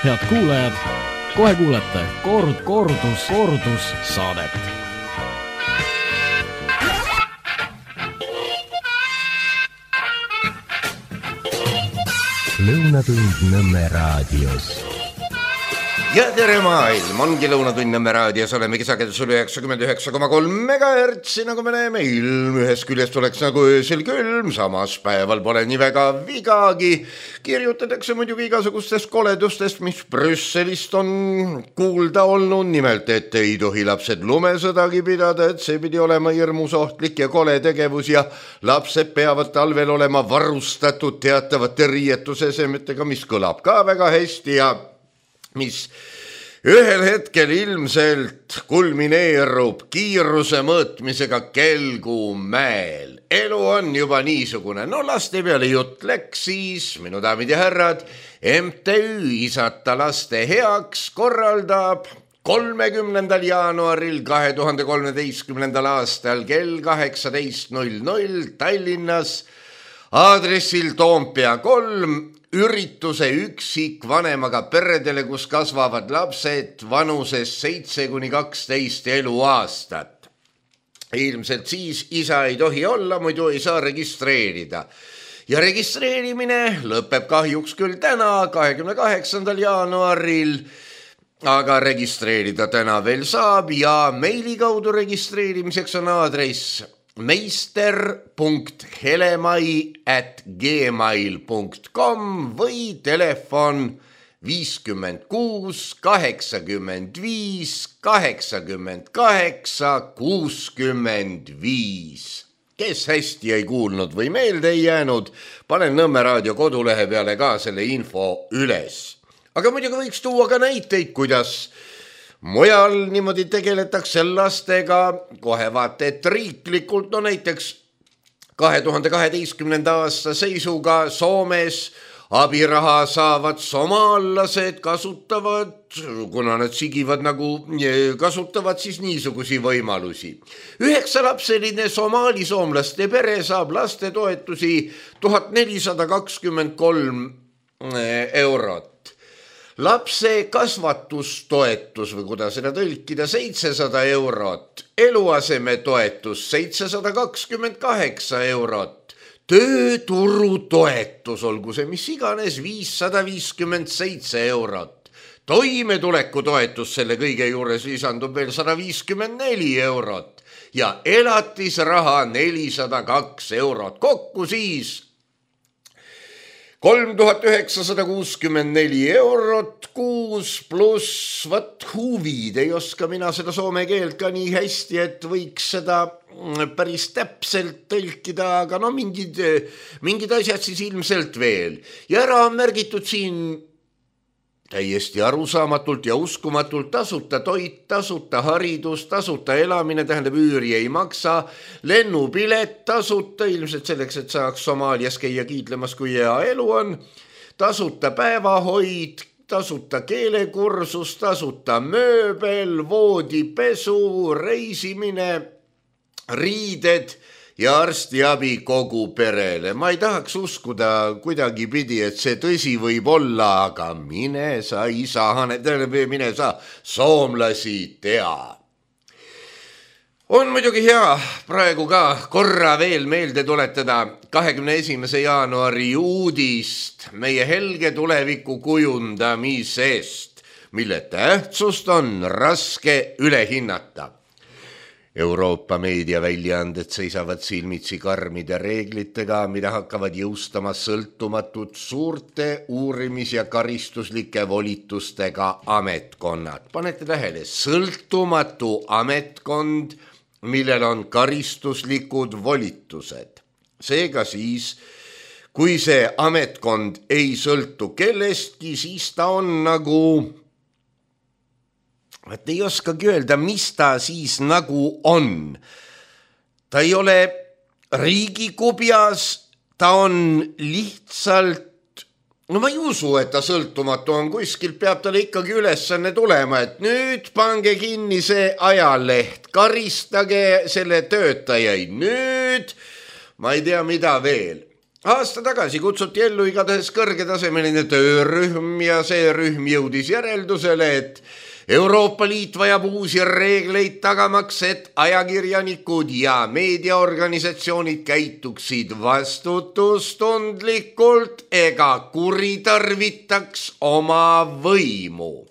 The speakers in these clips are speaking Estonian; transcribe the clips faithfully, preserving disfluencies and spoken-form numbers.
Head kuulajad, kohe kuulete kord, kordus, kordus saadet. Lõunatund Nõmme raadios. Ja tere maailm, ongi Lõunatund Nõmme raadios, oleme kisagedusel üheksakümmend üheksa koma kolm megahertsi, nagu me näeme, ilm ühest küljest oleks nagu öösel külm, samas päeval pole nii väga vigagi. Kirjutatakse muidugi igasugustest koledustest, mis Brüsselist on kuulda olnud, nimelt, et ei tohi lapsed lumesõdagi pidada, et see pidi olema hirmus ohtlik ja kole tegevus ja lapsed peavad talvel olema varustatud teatavate riietusesemetega, mis kõlab ka väga hästi ja mis ühel hetkel ilmselt kulmineerub kiiruse mõõtmisega Kelgumäel. Elu on juba niisugune, no laste peale jutt läks siis, minu daamid ja härrad, M T Ü Isata laste heaks korraldab kolmekümnendal jaanuaril kahe tuhande kolmeteistkümnendal aastal kell kaheksateist null null Tallinnas aadressil Toompea kolm ürituse üksikvanemaga peredele, kus kasvavad lapsed vanuses seitse kuni kaksteist eluaastat. Ilmselt siis isa ei tohi olla, muidu ei saa registreerida. Ja registreerimine lõpeb kahjuks küll täna, kahekümne kaheksandal jaanuaril, aga registreerida täna veel saab ja meili kaudu registreerimiseks on aadress meister punkt helemai at gmail punkt com või telefon viiskümmend kuus kaheksakümmend viis kaheksakümmend kaheksa kuuskümmend viis. Kes hästi ei kuulnud või meelde ei jäänud, panen Nõmme raadio kodulehe peale ka selle info üles. Aga muidugi võiks tuua ka näiteid, kuidas mujal niimoodi tegeletakse lastega, kohe vaata, et riiklikult, no näiteks kahe tuhande kaheteistkümnenda aasta seisuga Soomes abiraha saavad somaallased kasutavad, kuna nad sigivad nagu, kasutavad siis niisugusi võimalusi. Üheksalapseline somaali soomlaste pere saab lastetoetusi tuhat nelisada kakskümmend kolm eurot. Lapse kasvatustoetus või kuidas seda tõlkida seitsesada eurot, eluaseme toetus seitsesada kakskümmend kaheksa eurot, tööturutoetus, olgu see mis iganes, viissada viiskümmend seitse eurot, toimetuleku toetus selle kõige juures lisandub veel sada viiskümmend neli eurot ja elatisraha nelisada kaks eurot, kokku siis kolm tuhat üheksasada kuuskümmend neli eurot kuus pluss vat huvid. Ei oska mina seda soome keelt ka nii hästi, et võiks seda päris täpselt tõlkida, aga no mingid, mingid asjad siis ilmselt veel. Ja ära on märgitud siin täiesti arusaamatult ja uskumatult tasuta toit, tasuta haridus, tasuta elamine, tähendab üüri ei maksa, lennupilet tasuta, ilmselt selleks, et saaks Somaalias käia kiitlemas, kui hea elu on, tasuta päevahoid, tasuta keelekursus, tasuta mööbel, voodipesu, reisimine, riided ja arstiabi kogu perele. Ma ei tahaks uskuda kuidagi pidi, et see tõsi võib olla, aga mine sa isa, mine sa soomlasi tea. On muidugi hea praegu ka korra veel meelde tuletada kahekümne esimese jaanuari uudist meie helge tuleviku kujundamisest, mille tähtsust on raske üle hinnata. Euroopa meediaväljaanded seisavad silmitsi karmide reeglitega, mida hakkavad jõustama sõltumatud suurte uurimis- ja karistuslike volitustega ametkonnad. Panete tähele, sõltumatu ametkond, millel on karistuslikud volitused. Seega siis, kui see ametkond ei sõltu kellestki, siis ta on nagu et ei oskagi öelda, mis ta siis nagu on. Ta ei ole riigikubjas, ta on lihtsalt, no ma ei usu, et ta sõltumatu on, kuskilt peab talle ikkagi ülesanne tulema, et nüüd pange kinni see ajaleht, karistage selle töötajaid, nüüd ma ei tea mida veel. Aasta tagasi kutsuti ellu igatahes kõrgetasemeline töörühm ja see rühm jõudis järeldusele, et Euroopa Liit vajab uusi reegleid tagamaks, et ajakirjanikud ja meediaorganisatsioonid käituksid vastutustundlikult ega kuritarvitaks oma võimu.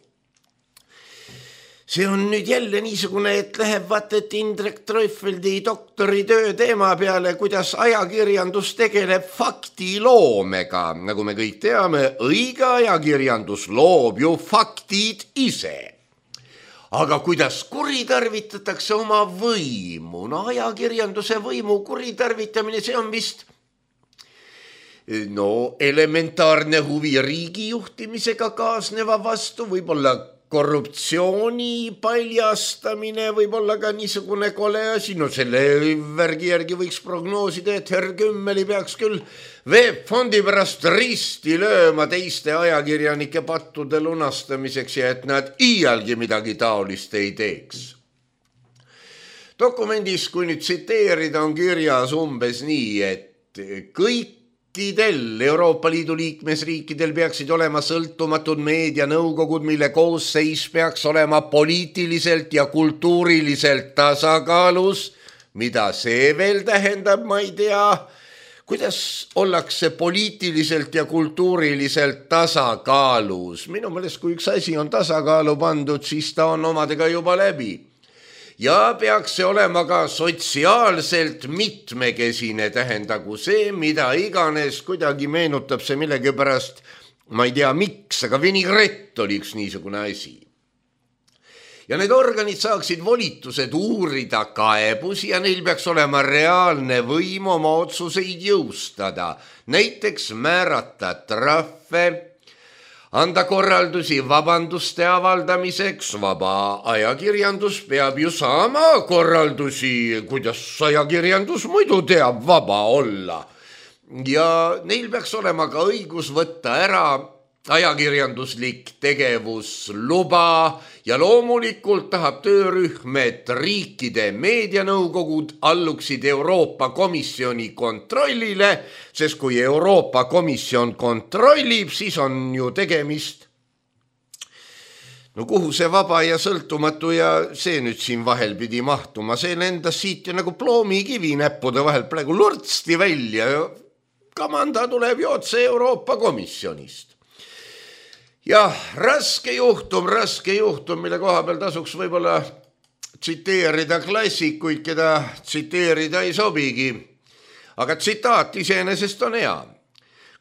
See on nüüd jälle niisugune, et läheb vaata, et Indrek Treufeldi doktoritöö teema peale, kuidas ajakirjandus tegeleb faktiloomega. Nagu me kõik teame, õige ajakirjandus loob ju faktid ise. Aga kuidas kuritarvitatakse oma võimu? No ajakirjanduse võimu kuritarvitamine, see on vist no, elementaarne huvi riigi juhtimisega kaasneva vastu, võib-olla korruptsiooni paljastamine, võib-olla ka niisugune kole asi. No selle värgi järgi võiks prognoosida, et Herr Kümmeli peaks küll veebfondi pärast risti lööma teiste ajakirjanike pattude lunastamiseks ja et nad iialgi midagi taolist ei teeks. Dokumendis, kui nüüd tsiteerida, on kirjas umbes nii, et kõik Euroopa Liidu liikmesriikidel peaksid olema sõltumatud meedianõukogud, mille koosseis peaks olema poliitiliselt ja kultuuriliselt tasakaalus. Mida see veel tähendab, ma ei tea. Kuidas ollakse poliitiliselt ja kultuuriliselt tasakaalus? Minu meelest, kui üks asi on tasakaalu pandud, siis ta on omadega juba läbi. Ja peaks see olema ka sotsiaalselt mitmekesine, tähendagu see, mida iganes, kuidagi meenutab see millegi pärast, ma ei tea miks, aga vinaigrett oli üks niisugune asi. Ja need organid saaksid volitused uurida kaebusi ja neil peaks olema reaalne võim oma otsuseid jõustada, näiteks määrata trahve, anda korraldusi vabanduste avaldamiseks. Vaba ajakirjandus peab ju saama korraldusi, kuidas ajakirjandus muidu teab vaba olla. Ja neil peaks olema ka õigus võtta ära ajakirjanduslik tegevusluba ja loomulikult tahab töörühm, et riikide meedianõukogud alluksid Euroopa Komisjoni kontrollile, sest kui Euroopa Komisjon kontrollib, siis on ju tegemist. No kuhu see vaba ja sõltumatu ja see nüüd siin vahel pidi mahtuma, see lendas siit ju nagu ploomikivi näppude vahel praegu lurtsti välja ja kamanda tuleb ju otse Euroopa Komisjonist. Ja raske juhtum, raske juhtum, mille koha peal tasuks võib-olla tsiteerida klassikuid, keda tsiteerida ei sobigi. Aga tsitaat iseenesest on hea.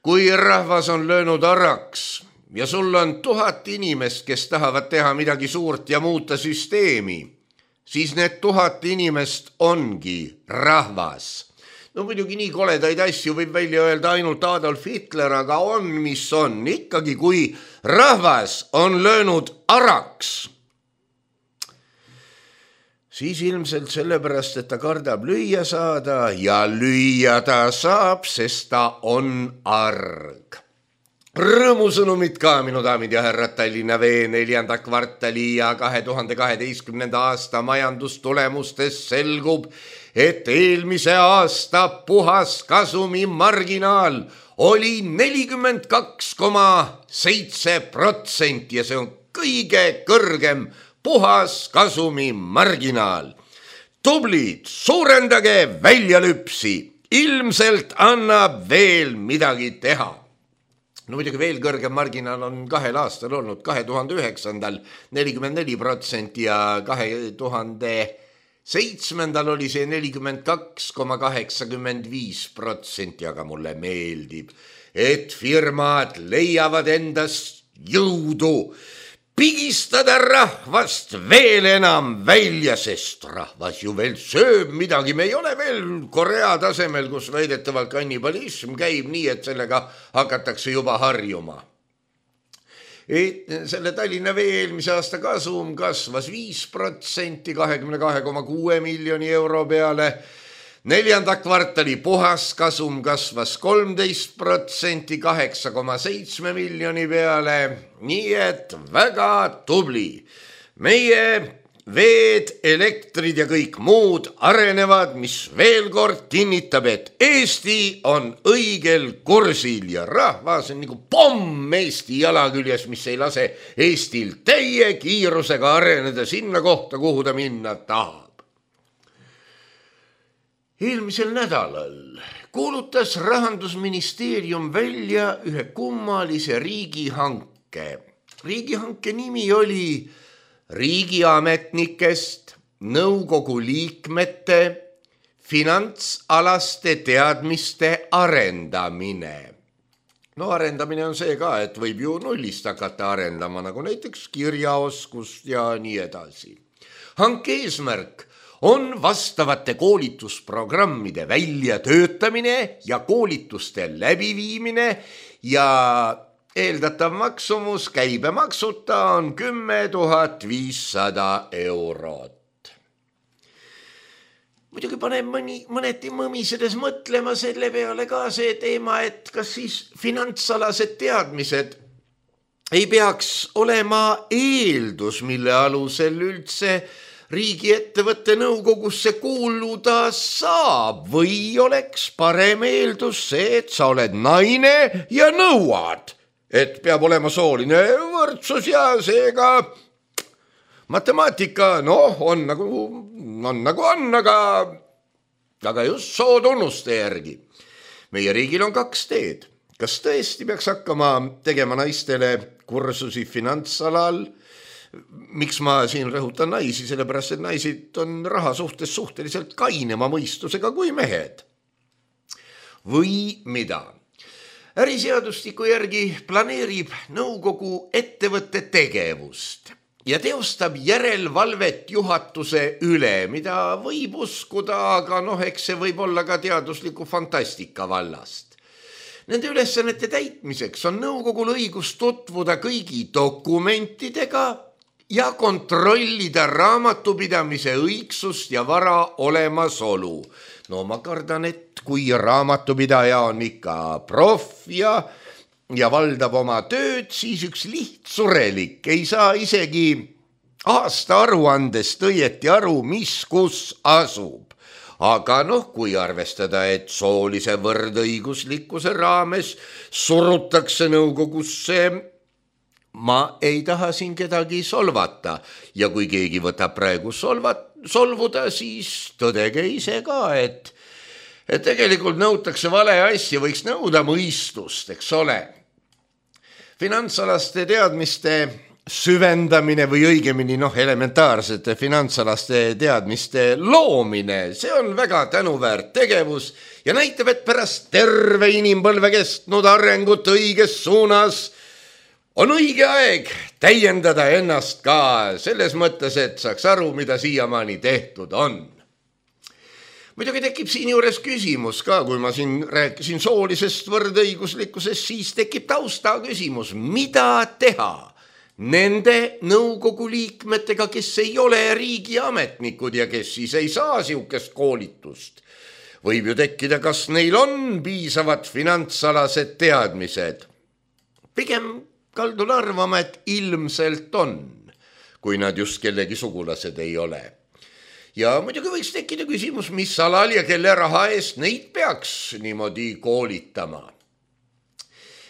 Kui rahvas on löönud araks ja sul on tuhat inimest, kes tahavad teha midagi suurt ja muuta süsteemi, siis need tuhat inimest ongi rahvas. No muidugi nii koledaid asju võib välja öelda ainult Adolf Hitler, aga on, mis on. Ikkagi kui rahvas on löönud araks, siis ilmselt sellepärast, et ta kardab lüüa saada ja lüüa ta saab, sest ta on arg. Rõõmusõnumid ka, minu daamid ja härrad, Tallinna Vee neljanda kvartali ja kahe tuhande kaheteistkümnenda aasta majandustulemustes selgub, et eelmise aasta puhas kasumi marginaal oli nelikümmend kaks koma seitse protsenti ja see on kõige kõrgem puhas kasumi marginaal. Tublid, suurendage väljalüpsi, ilmselt annab veel midagi teha. No muidugi veel kõrgem marginaal on kahel aastal olnud, kahe tuhande üheksandal nelikümmend neli protsenti ja kahe tuhande seitsmendal oli see nelikümmend kaks koma kaheksakümmend viis protsenti, aga mulle meeldib, et firmad leiavad endast jõudu pigistada rahvast veel enam välja, sest rahvas ju veel sööb midagi. Me ei ole veel Korea tasemel, kus väidetavalt kannibalism käib nii, et sellega hakatakse juba harjuma. Et selle Tallinna Vee eelmise aasta kasum kasvas viis protsenti kahekümne kahe koma kuue miljoni euro peale. Neljanda kvartali puhas kasum kasvas kolmteist protsenti kaheksa koma seitse miljoni peale. Nii et väga tubli. Meie veed, elektrid ja kõik muud arenevad, mis veel kord kinnitab, et Eesti on õigel kursil ja rahvas on nagu pomm Eesti jala küljes, mis ei lase Eestil täie kiirusega areneda sinna kohta, kuhu ta minna tahab. Eelmisel nädalal kuulutas Rahandusministeerium välja ühe kummalise riigihanke. Riigihanke nimi oli riigiametnikest nõukogu liikmete finantsalaste teadmiste arendamine. No arendamine on see ka, et võib ju nullist hakata arendama, nagu näiteks kirjaoskust ja nii edasi. Hanke eesmärk on vastavate koolitusprogrammide väljatöötamine ja koolituste läbiviimine ja eeldatav maksumus käibemaksuta on kümme tuhat viissada eurot. Muidugi paneb mõni, mõneti mõmisedes mõtlema selle peale ka see teema, et kas siis finantsalased teadmised ei peaks olema eeldus, mille alusel üldse riigiettevõtte nõukogusse kuuluda saab või oleks parem eeldus see, et sa oled naine ja nõuad, et peab olema sooline võrdsus ja seega matemaatika, noh, on nagu on, nagu on aga, aga just sootunnuste järgi. Meie riigil on kaks teed. Kas tõesti peaks hakkama tegema naistele kursusi finantsalal? Miks ma siin rõhutan naisi, sellepärast et naised on raha suhtes suhteliselt kainema mõistusega kui mehed. Või mida? Äriseadustiku järgi planeerib nõukogu ettevõtte tegevust ja teostab järelevalvet juhatuse üle, mida võib uskuda, aga noh, eks see võib olla ka teadusliku fantastika vallast. Nende ülesannete täitmiseks on nõukogul õigus tutvuda kõigi dokumentidega ja kontrollida raamatupidamise õigsust ja vara olemasolu. No ma kardan, et kui raamatupidaja on ikka proff ja, ja valdab oma tööd, siis üks lihtsurelik ei saa isegi aasta aruandest õieti aru, mis kus asub. Aga noh, kui arvestada, et soolise võrdõiguslikkuse raames surutakse nõukogusse, ma ei taha siin kedagi solvata ja kui keegi võtab praegu solvat, solvuda, siis tõdege ise ka, et, et tegelikult nõutakse vale asja, võiks nõuda mõistust, eks ole. Finantsalaste teadmiste süvendamine või õigemini noh, elementaarsete finantsalaste teadmiste loomine, see on väga tänuväärt tegevus ja näitab, et pärast terve inimpõlve kestnud arengut õiges suunas on õige aeg täiendada ennast ka selles mõttes, et saaks aru, mida siiamaani tehtud on. Muidugi tekib siin juures küsimus ka, kui ma siin rääkisin soolisest võrdõiguslikkusest, siis tekib tausta küsimus, mida teha nende nõukogu liikmetega, kes ei ole riigiametnikud ja kes siis ei saa siukest koolitust. Võib ju tekkida, kas neil on piisavad finantsalased teadmised. Pigem kaldun arvama, et ilmselt on, kui nad just kellegi sugulased ei ole. Ja muidugi võiks tekkida küsimus, mis alal ja kelle raha eest neid peaks niimoodi koolitama.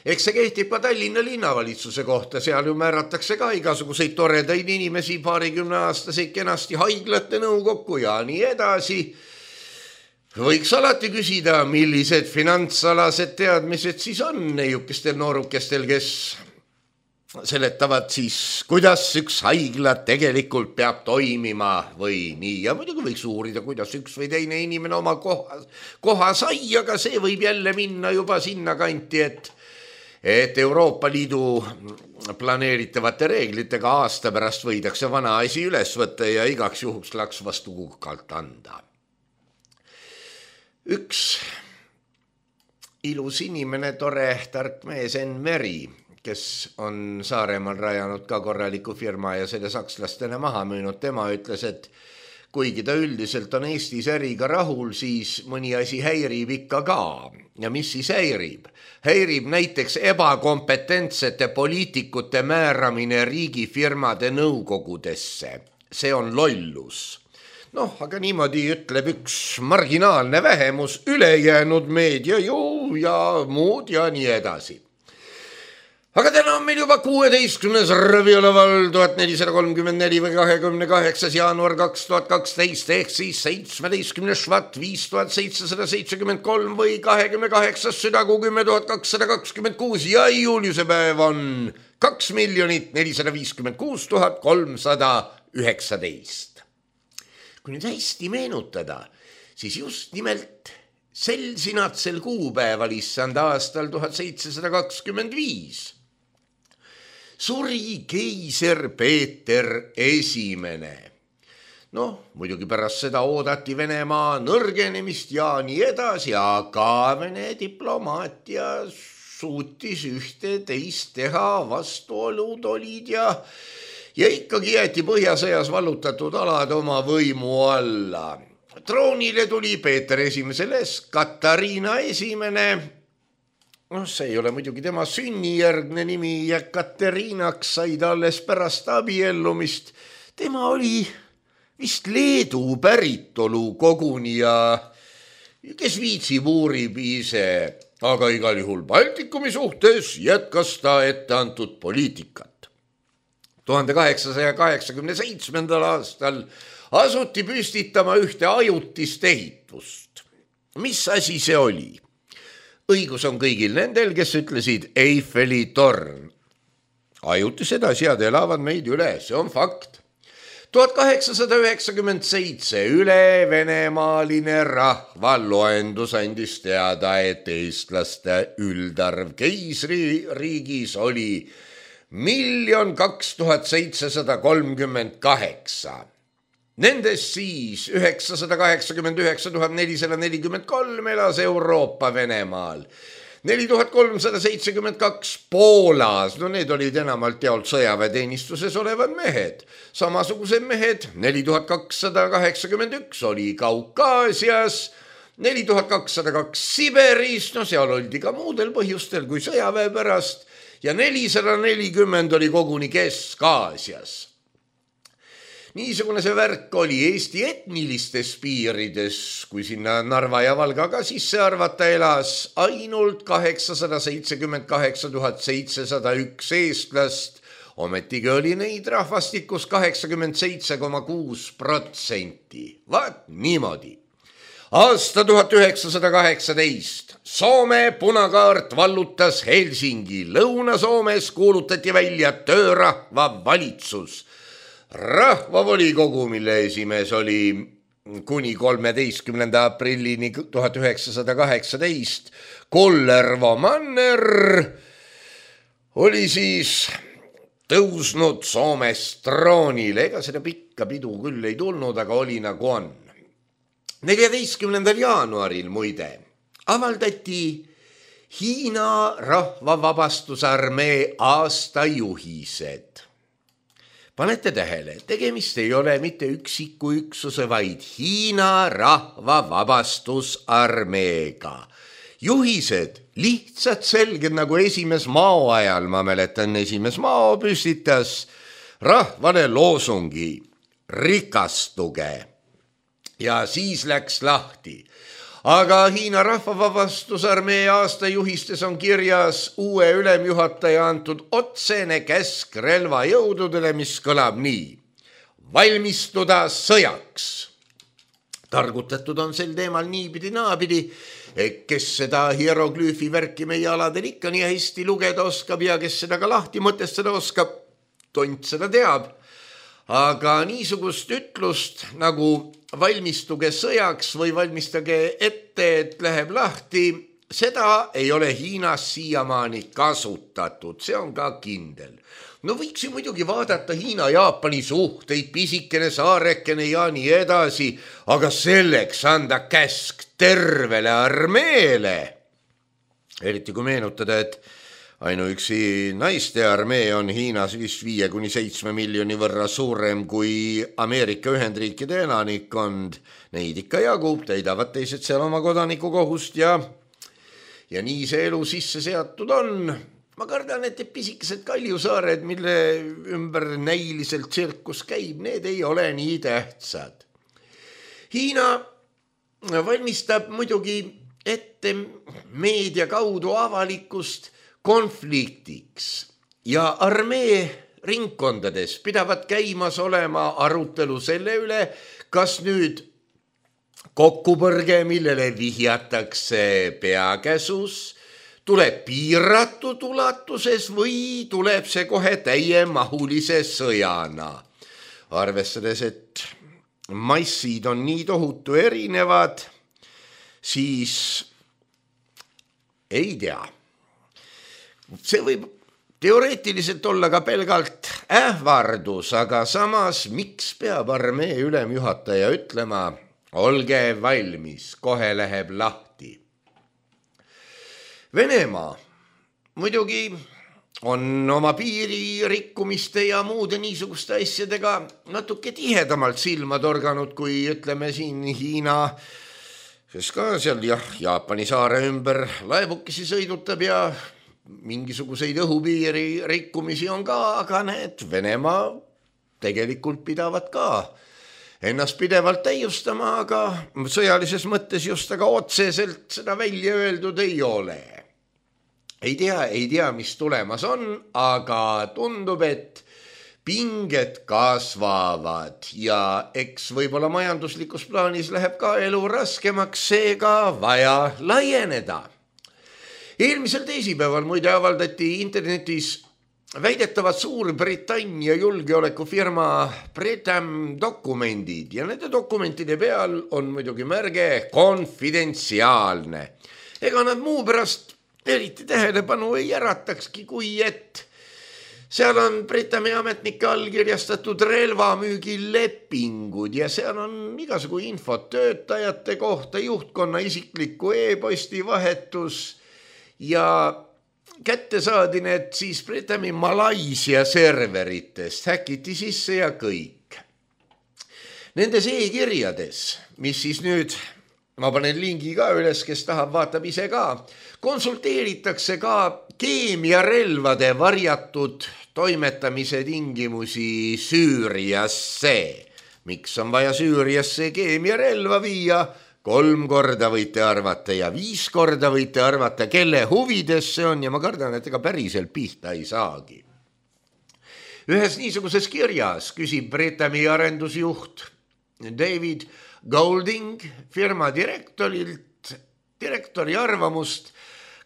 Eks see kehtib ka Tallinna linnavalitsuse kohta, seal ju määratakse ka igasuguseid toredaid inimesi, paarikümne aastaseid kenasti haiglate nõukokku ja nii edasi. Võiks alati küsida, millised finantsalased teadmised siis on neiukestel noorukestel, kes seletavad siis, kuidas üks haigla tegelikult peab toimima või nii. Ja muidugi võiks uurida, kuidas üks või teine inimene oma koha, koha sai, aga see võib jälle minna juba sinna kanti, et, et Euroopa Liidu planeeritavate reeglitega aasta pärast võidakse vana asi üles võtta ja igaks juhuks laks vastu kukalt anda. Üks ilus inimene, tore tark mees Enn Meri, kes on Saaremaal rajanud ka korraliku firma ja selle sakslastele maha müünud, tema ütles, et kuigi ta üldiselt on Eestis äriga rahul, siis mõni asi häirib ikka ka. Ja mis siis häirib? Häirib näiteks ebakompetentsete poliitikute määramine riigifirmade nõukogudesse. see on lollus. Noh, aga niimoodi ütleb üks marginaalne vähemus, ülejäänud meedia ju ja muud ja nii edasi. Aga täna on meil juba kuueteistkümnes Raviola tuhat nelisada kolmkümmend neli või kahekümne kaheksas jaanuar kaks tuhat kaksteist ehk siis seitsmeteistkümnes švat viis tuhat seitsesada seitsekümmend kolm või kahekümne kaheksas südakuu kümme tuhat kakssada kakskümmend kuus ja juuliuse päev on kaks miljonit nelisada viiskümmend kuus tuhat kolmsada üheksateist. Kui nüüd hästi meenutada, siis just nimelt sel sinatsel kuupäeval issand aastal tuhat seitsesada kakskümmend viis suri keiser Peeter esimene. Noh, muidugi pärast seda oodati Venemaa nõrgenemist ja nii edasi, aga Vene diplomaatia suutis ühte teist teha, vastuolud olid ja, ja ikkagi jäeti Põhjasõjas vallutatud alad oma võimu alla. Troonile tuli Peeter esimesele Katariina esimene. No, see ei ole muidugi tema sünnijärgne nimi ja Kateriinaks sai ta alles pärast abiellumist. Tema oli vist Leedu päritolu koguni ja kes viitsib uurib ise, aga igal juhul Baltikumi suhtes jätkas ta ette antud poliitikat. tuhande kaheksasaja kaheksakümne seitsmendal aastal asuti püstitama ühte ajutist ehitust. Mis asi see oli? Õigus on kõigil nendel, kes ütlesid Eiffeli torn. Ajutised asjad elavad meid üle, see on fakt. tuhat kaheksasada üheksakümmend seitse üle venemaaline rahvaloendus andis teada, et eestlaste üldarv keisririigis oli miljon kaks tuhat seitsesada kolmkümmend kaheksa. Nendest siis üheksasada kaheksakümmend üheksa tuhat nelisada nelikümmend kolm elas Euroopa Venemaal, neli tuhat kolmsada seitsekümmend kaks Poolas, no need olid enamalt jaolt sõjaväeteenistuses olevad mehed, samasugused mehed, neli tuhat kakssada kaheksakümmend üks oli Kaukaasias, neli tuhat kakssada kaks Siberis, no seal oldi ka muudel põhjustel kui sõjaväe pärast ja nelisada nelikümmend oli koguni Kesk-Aasias. Niisugune see värk oli Eesti etnilistes piirides, kui sinna Narva ja Valga ka sisse arvata elas ainult kaheksasada seitsekümmend kaheksa tuhat seitsesada üks eestlast, ometigi oli neid rahvastikus kaheksakümmend seitse koma kuus protsenti. Vaat niimoodi. Aasta tuhat üheksasada kaheksateist. Soome punakaart vallutas Helsingi. Lõuna-Soomes kuulutati välja töörahva valitsus. Rahvavolikogu, mille esimees oli kuni kolmeteistkümnenda aprillini tuhat üheksasada kaheksateist, Kollervo Manner, oli siis tõusnud Soomes troonile. Ega seda pikka pidu küll ei tulnud, aga oli nagu on. neljateistkümnendal jaanuaril muide avaldati Hiina rahvavabastusarmee aastajuhised. Panete tähele, tegemist ei ole mitte üksiku üksuse, vaid Hiina rahvavabastusarmeega. Juhised, lihtsalt selged nagu esimes Mao ajal, ma mäletan, esimes Mao püstitas rahvale loosungi rikastuge ja siis läks lahti. Aga Hiina rahvavabastusarmee aastajuhistes on kirjas uue ülemjuhataja antud otsene käsk relvajõududele, mis kõlab nii. Valmistuda sõjaks. Targutatud on sel teemal niipidi naapidi, kes seda hieroglüüfi värki meie aladel ikka nii hästi lugeda oskab ja kes seda ka lahti mõtestada oskab, tont seda teab. Aga niisugust ütlust nagu valmistuge sõjaks või valmistage ette, et läheb lahti, seda ei ole Hiinas siiamaani kasutatud, see on ka kindel. No võiks ju muidugi vaadata Hiina-Jaapani suhteid, pisikene saarekene ja nii edasi, aga selleks anda käsk tervele armeele. Eriti kui meenutada, et ainuüksi naiste armee on Hiinas vist viie kuni seitsme miljoni võrra suurem kui Ameerika Ühendriikide elanikkond. Neid ikka jagub, täidavad teised seal oma kodanikukohust ja, ja nii see elu sisse seatud on. ma kardan, et pisikesed kaljusaared, mille ümber näiliselt tsirkus käib, need ei ole nii tähtsad. Hiina valmistab muidugi ette meedia kaudu avalikkust konfliktiks ja armee ringkondades pidavat käimas olema arutelu selle üle, kas nüüd kokkupõrge, millele vihjatakse peakäsus, tuleb piiratud ulatuses või tuleb see kohe täiemahulise sõjana. Arvestades, et massid on nii tohutu erinevad, siis ei tea. See võib teoreetiliselt olla ka pelgalt ähvardus, aga samas miks peab armee ülemjuhataja ütlema, olge valmis, kohe läheb lahti. Venemaa muidugi on oma piiri rikkumiste ja muude niisuguste asjadega natuke tihedamalt silma torganud, kui ütleme siin Hiina, kes ka seal jah, Jaapani saare ümber laevukesi sõidutab ja mingisuguseid õhupiiri rikkumisi on ka, aga need Venemaa tegelikult pidavad ka ennast pidevalt täiustama, aga sõjalises mõttes just aga otseselt seda välja öeldud ei ole. Ei tea, ei tea, mis tulemas on, aga tundub, et pinged kasvavad ja eks võib-olla majanduslikus plaanis läheb ka elu raskemaks, seega vaja laieneda. Eelmisel teisipäeval muide avaldati internetis väidetavad Suurbritannia julgeolekufirma Britam dokumendid ja nende dokumentide peal on muidugi märge konfidentsiaalne. Ega nad muu pärast eriti tähelepanu ei äratakski, kui et seal on Britami ametnike allkirjastatud relvamüügilepingud ja seal on igasugu infot töötajate kohta, juhtkonna isikliku e-posti vahetus ja kätte saadi need siis Britami Malaisia serveritest, häkiti sisse ja kõik. Nendes e-kirjades, mis siis nüüd, ma panen lingi ka üles, kes tahab, vaatab ise ka, konsulteeritakse ka keemiarelvade varjatud toimetamise tingimusi Süüriasse. Miks on vaja Süüriasse keemiarelva viia? Kolm korda võite arvata ja viis korda võite arvata, kelle huvides see on ja ma kardan, et ega päriselt pihta ei saagi. Ühes niisuguses kirjas küsib Britami arendusjuht David Golding firma direktorilt, direktori arvamust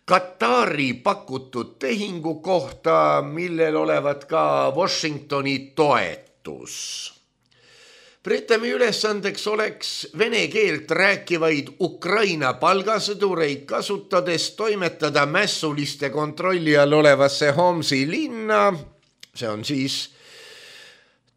Katari pakutud tehingu kohta, millel olevat ka Washingtoni toetus. Britami ülesandeks oleks vene keelt rääkivaid Ukraina palgasõdureid kasutades toimetada mässuliste kontrolli all olevasse Homsi linna, see on siis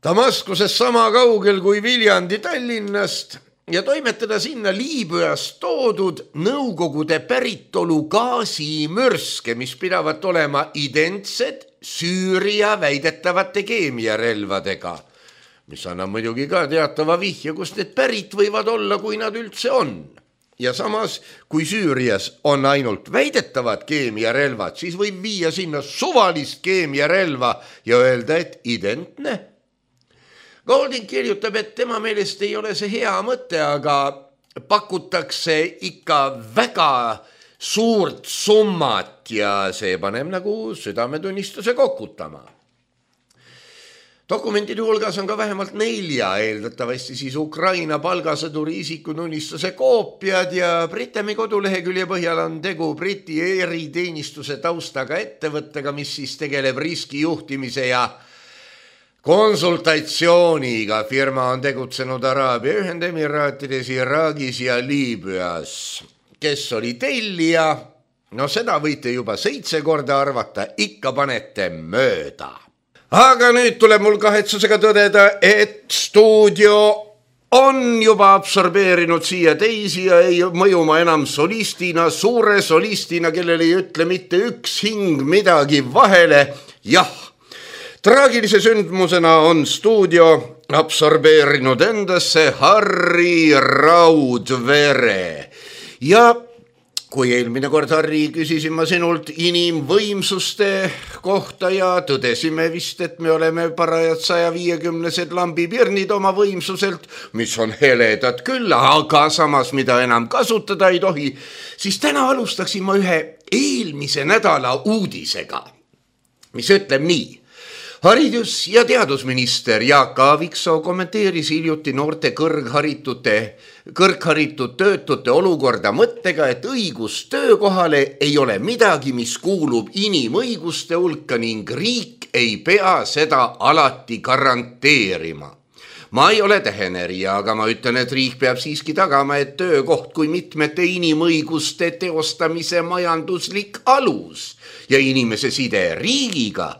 Damaskuses sama kaugel kui Viljandi Tallinnast, ja toimetada sinna Liibüast toodud nõukogude päritolu gaasimürske, mis pidavat olema identsed Süüria väidetavate keemiarelvadega, mis annab muidugi ka teatava vihje, kust need pärit võivad olla, kui nad üldse on. Ja samas, kui Süürias on ainult väidetavad keemiarelvad, siis võib viia sinna suvalist keemiarelva ja öelda, et identne. Golding kirjutab, et tema meelest ei ole see hea mõte, aga pakutakse ikka väga suurt summat ja see paneb nagu südametunnistuse kokutama. Dokumentide hulgas on ka vähemalt nelja, eeldatavasti siis Ukraina palgasõduri isikutunnistuse koopiad ja Britami kodulehekülje põhjal on tegu Briti eriteenistuse taustaga ettevõttega, mis siis tegeleb riskijuhtimise ja konsultatsiooniga. Firma on tegutsenud Araabia Ühendemiraatides, Iraagis ja Liibüas. Kes oli tellija? No seda võite juba seitse korda arvata, ikka panete mööda. Aga nüüd tuleb mul kahetsusega tõdeda, et stuudio on juba absorbeerinud siia teisi ja ei mõjuma enam solistina, suure solistina, kellel ei ütle mitte üks hing midagi vahele. Jah, traagilise sündmusena on stuudio absorbeerinud endasse Harri Raudvere ja kui eelmine kord, Harri, küsisin ma sinult inimvõimsuste kohta ja tõdesime vist, et me oleme parajad saja viiekümnesed lambipirnid oma võimsuselt, mis on heledad küll, aga samas mida enam kasutada ei tohi, siis täna alustaksin ma ühe eelmise nädala uudisega, mis ütleb nii. Haridus- ja teadusminister Jaak Aaviksoo kommenteeris hiljuti noorte kõrgharitute, kõrgharitud töötute olukorda mõttega, et õigus töökohale ei ole midagi, mis kuulub inimõiguste hulka ning riik ei pea seda alati garanteerima. Ma ei ole tähenerija, aga ma ütlen, et riik peab siiski tagama, et töökoht kui mitmete inimõiguste teostamise majanduslik alus ja inimese side riigiga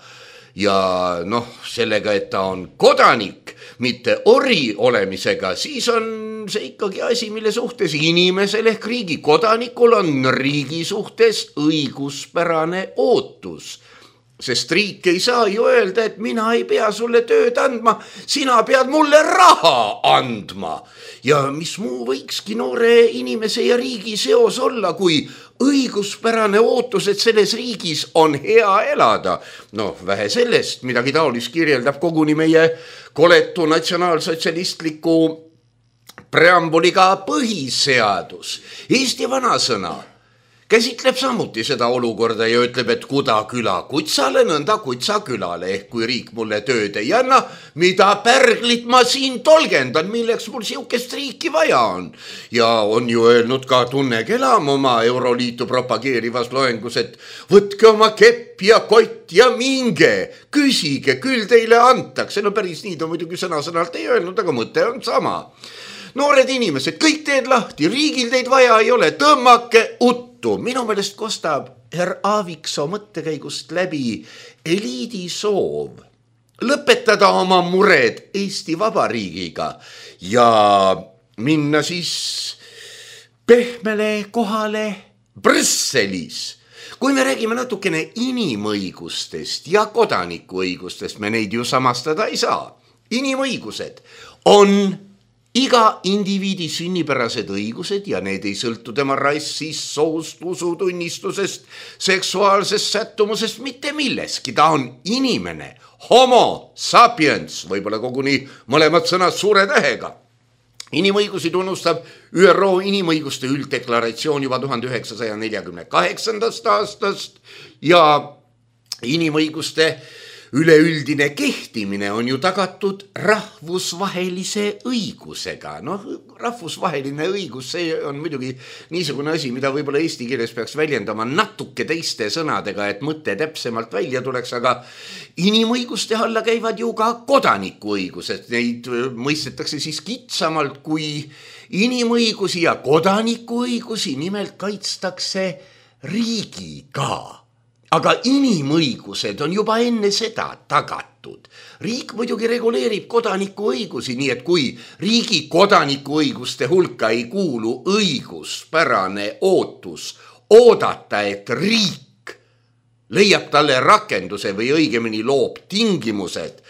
ja noh, sellega, et ta on kodanik, mitte ori olemisega, siis on see ikkagi asi, mille suhtes inimesel ehk riigi kodanikul on riigi suhtes õiguspärane ootus. Sest riik ei saa ju öelda, et mina ei pea sulle tööd andma, sina pead mulle raha andma. Ja mis muu võikski noore inimese ja riigi seos olla, kui õiguspärane ootus, et selles riigis on hea elada. No vähe sellest, midagi taolist kirjeldab koguni meie koletu natsionaalsotsialistliku preambuliga põhiseadus. Eesti vanasõna käsitleb samuti seda olukorda ja ütleb, et kuda küla kutsale, nõnda kutsa külale, ehk kui riik mulle tööd ei anna, mida pärglit ma siin tolgendan, milleks mul siukest riiki vaja on. Ja on ju öelnud ka Tunne Kelam oma Euroliitu propageerivas loengus, et võtke oma kepp ja kott ja minge, küsige, küll teile antakse. No päris nii ta muidugi sõna-sõnalt ei öelnud, aga mõte on sama. Noored inimesed, kõik teed lahti, riigil teid vaja ei ole, tõmmake uttu. Minu meelest kostab herr Aaviksoo mõttekäigust läbi eliidi soov lõpetada oma mured Eesti Vabariigiga ja minna siis pehmele kohale Brüsselis. Kui me räägime natukene inimõigustest ja kodanikuõigustest, me neid ju samastada ei saa. Inimõigused on iga indiviidi sünnipärased õigused ja need ei sõltu tema rassist, soost, usutunnistusest, seksuaalsest sättumusest, mitte milleski. Ta on inimene, homo sapiens, võib-olla koguni mõlemad sõnad suure tähega. Inimõigusi tunnustab Ü R O inimõiguste ülddeklaratsioon juba tuhande üheksasaja neljakümne kaheksandast aastast ja inimõiguste üleüldine kehtimine on ju tagatud rahvusvahelise õigusega. Noh, rahvusvaheline õigus, see on muidugi niisugune asi, mida võib-olla eesti keeles peaks väljendama natuke teiste sõnadega, et mõte täpsemalt välja tuleks, aga inimõiguste alla käivad ju ka kodanikuõigused. Neid mõistetakse siis kitsamalt kui inimõigusi ja kodanikuõigusi, nimelt kaitstakse riigiga. Aga inimõigused on juba enne seda tagatud. Riik muidugi reguleerib kodanikuõigusi, nii et kui riigi kodanikuõiguste hulka ei kuulu õiguspärane ootus oodata, et riik leiab talle rakenduse või õigemini loob tingimused,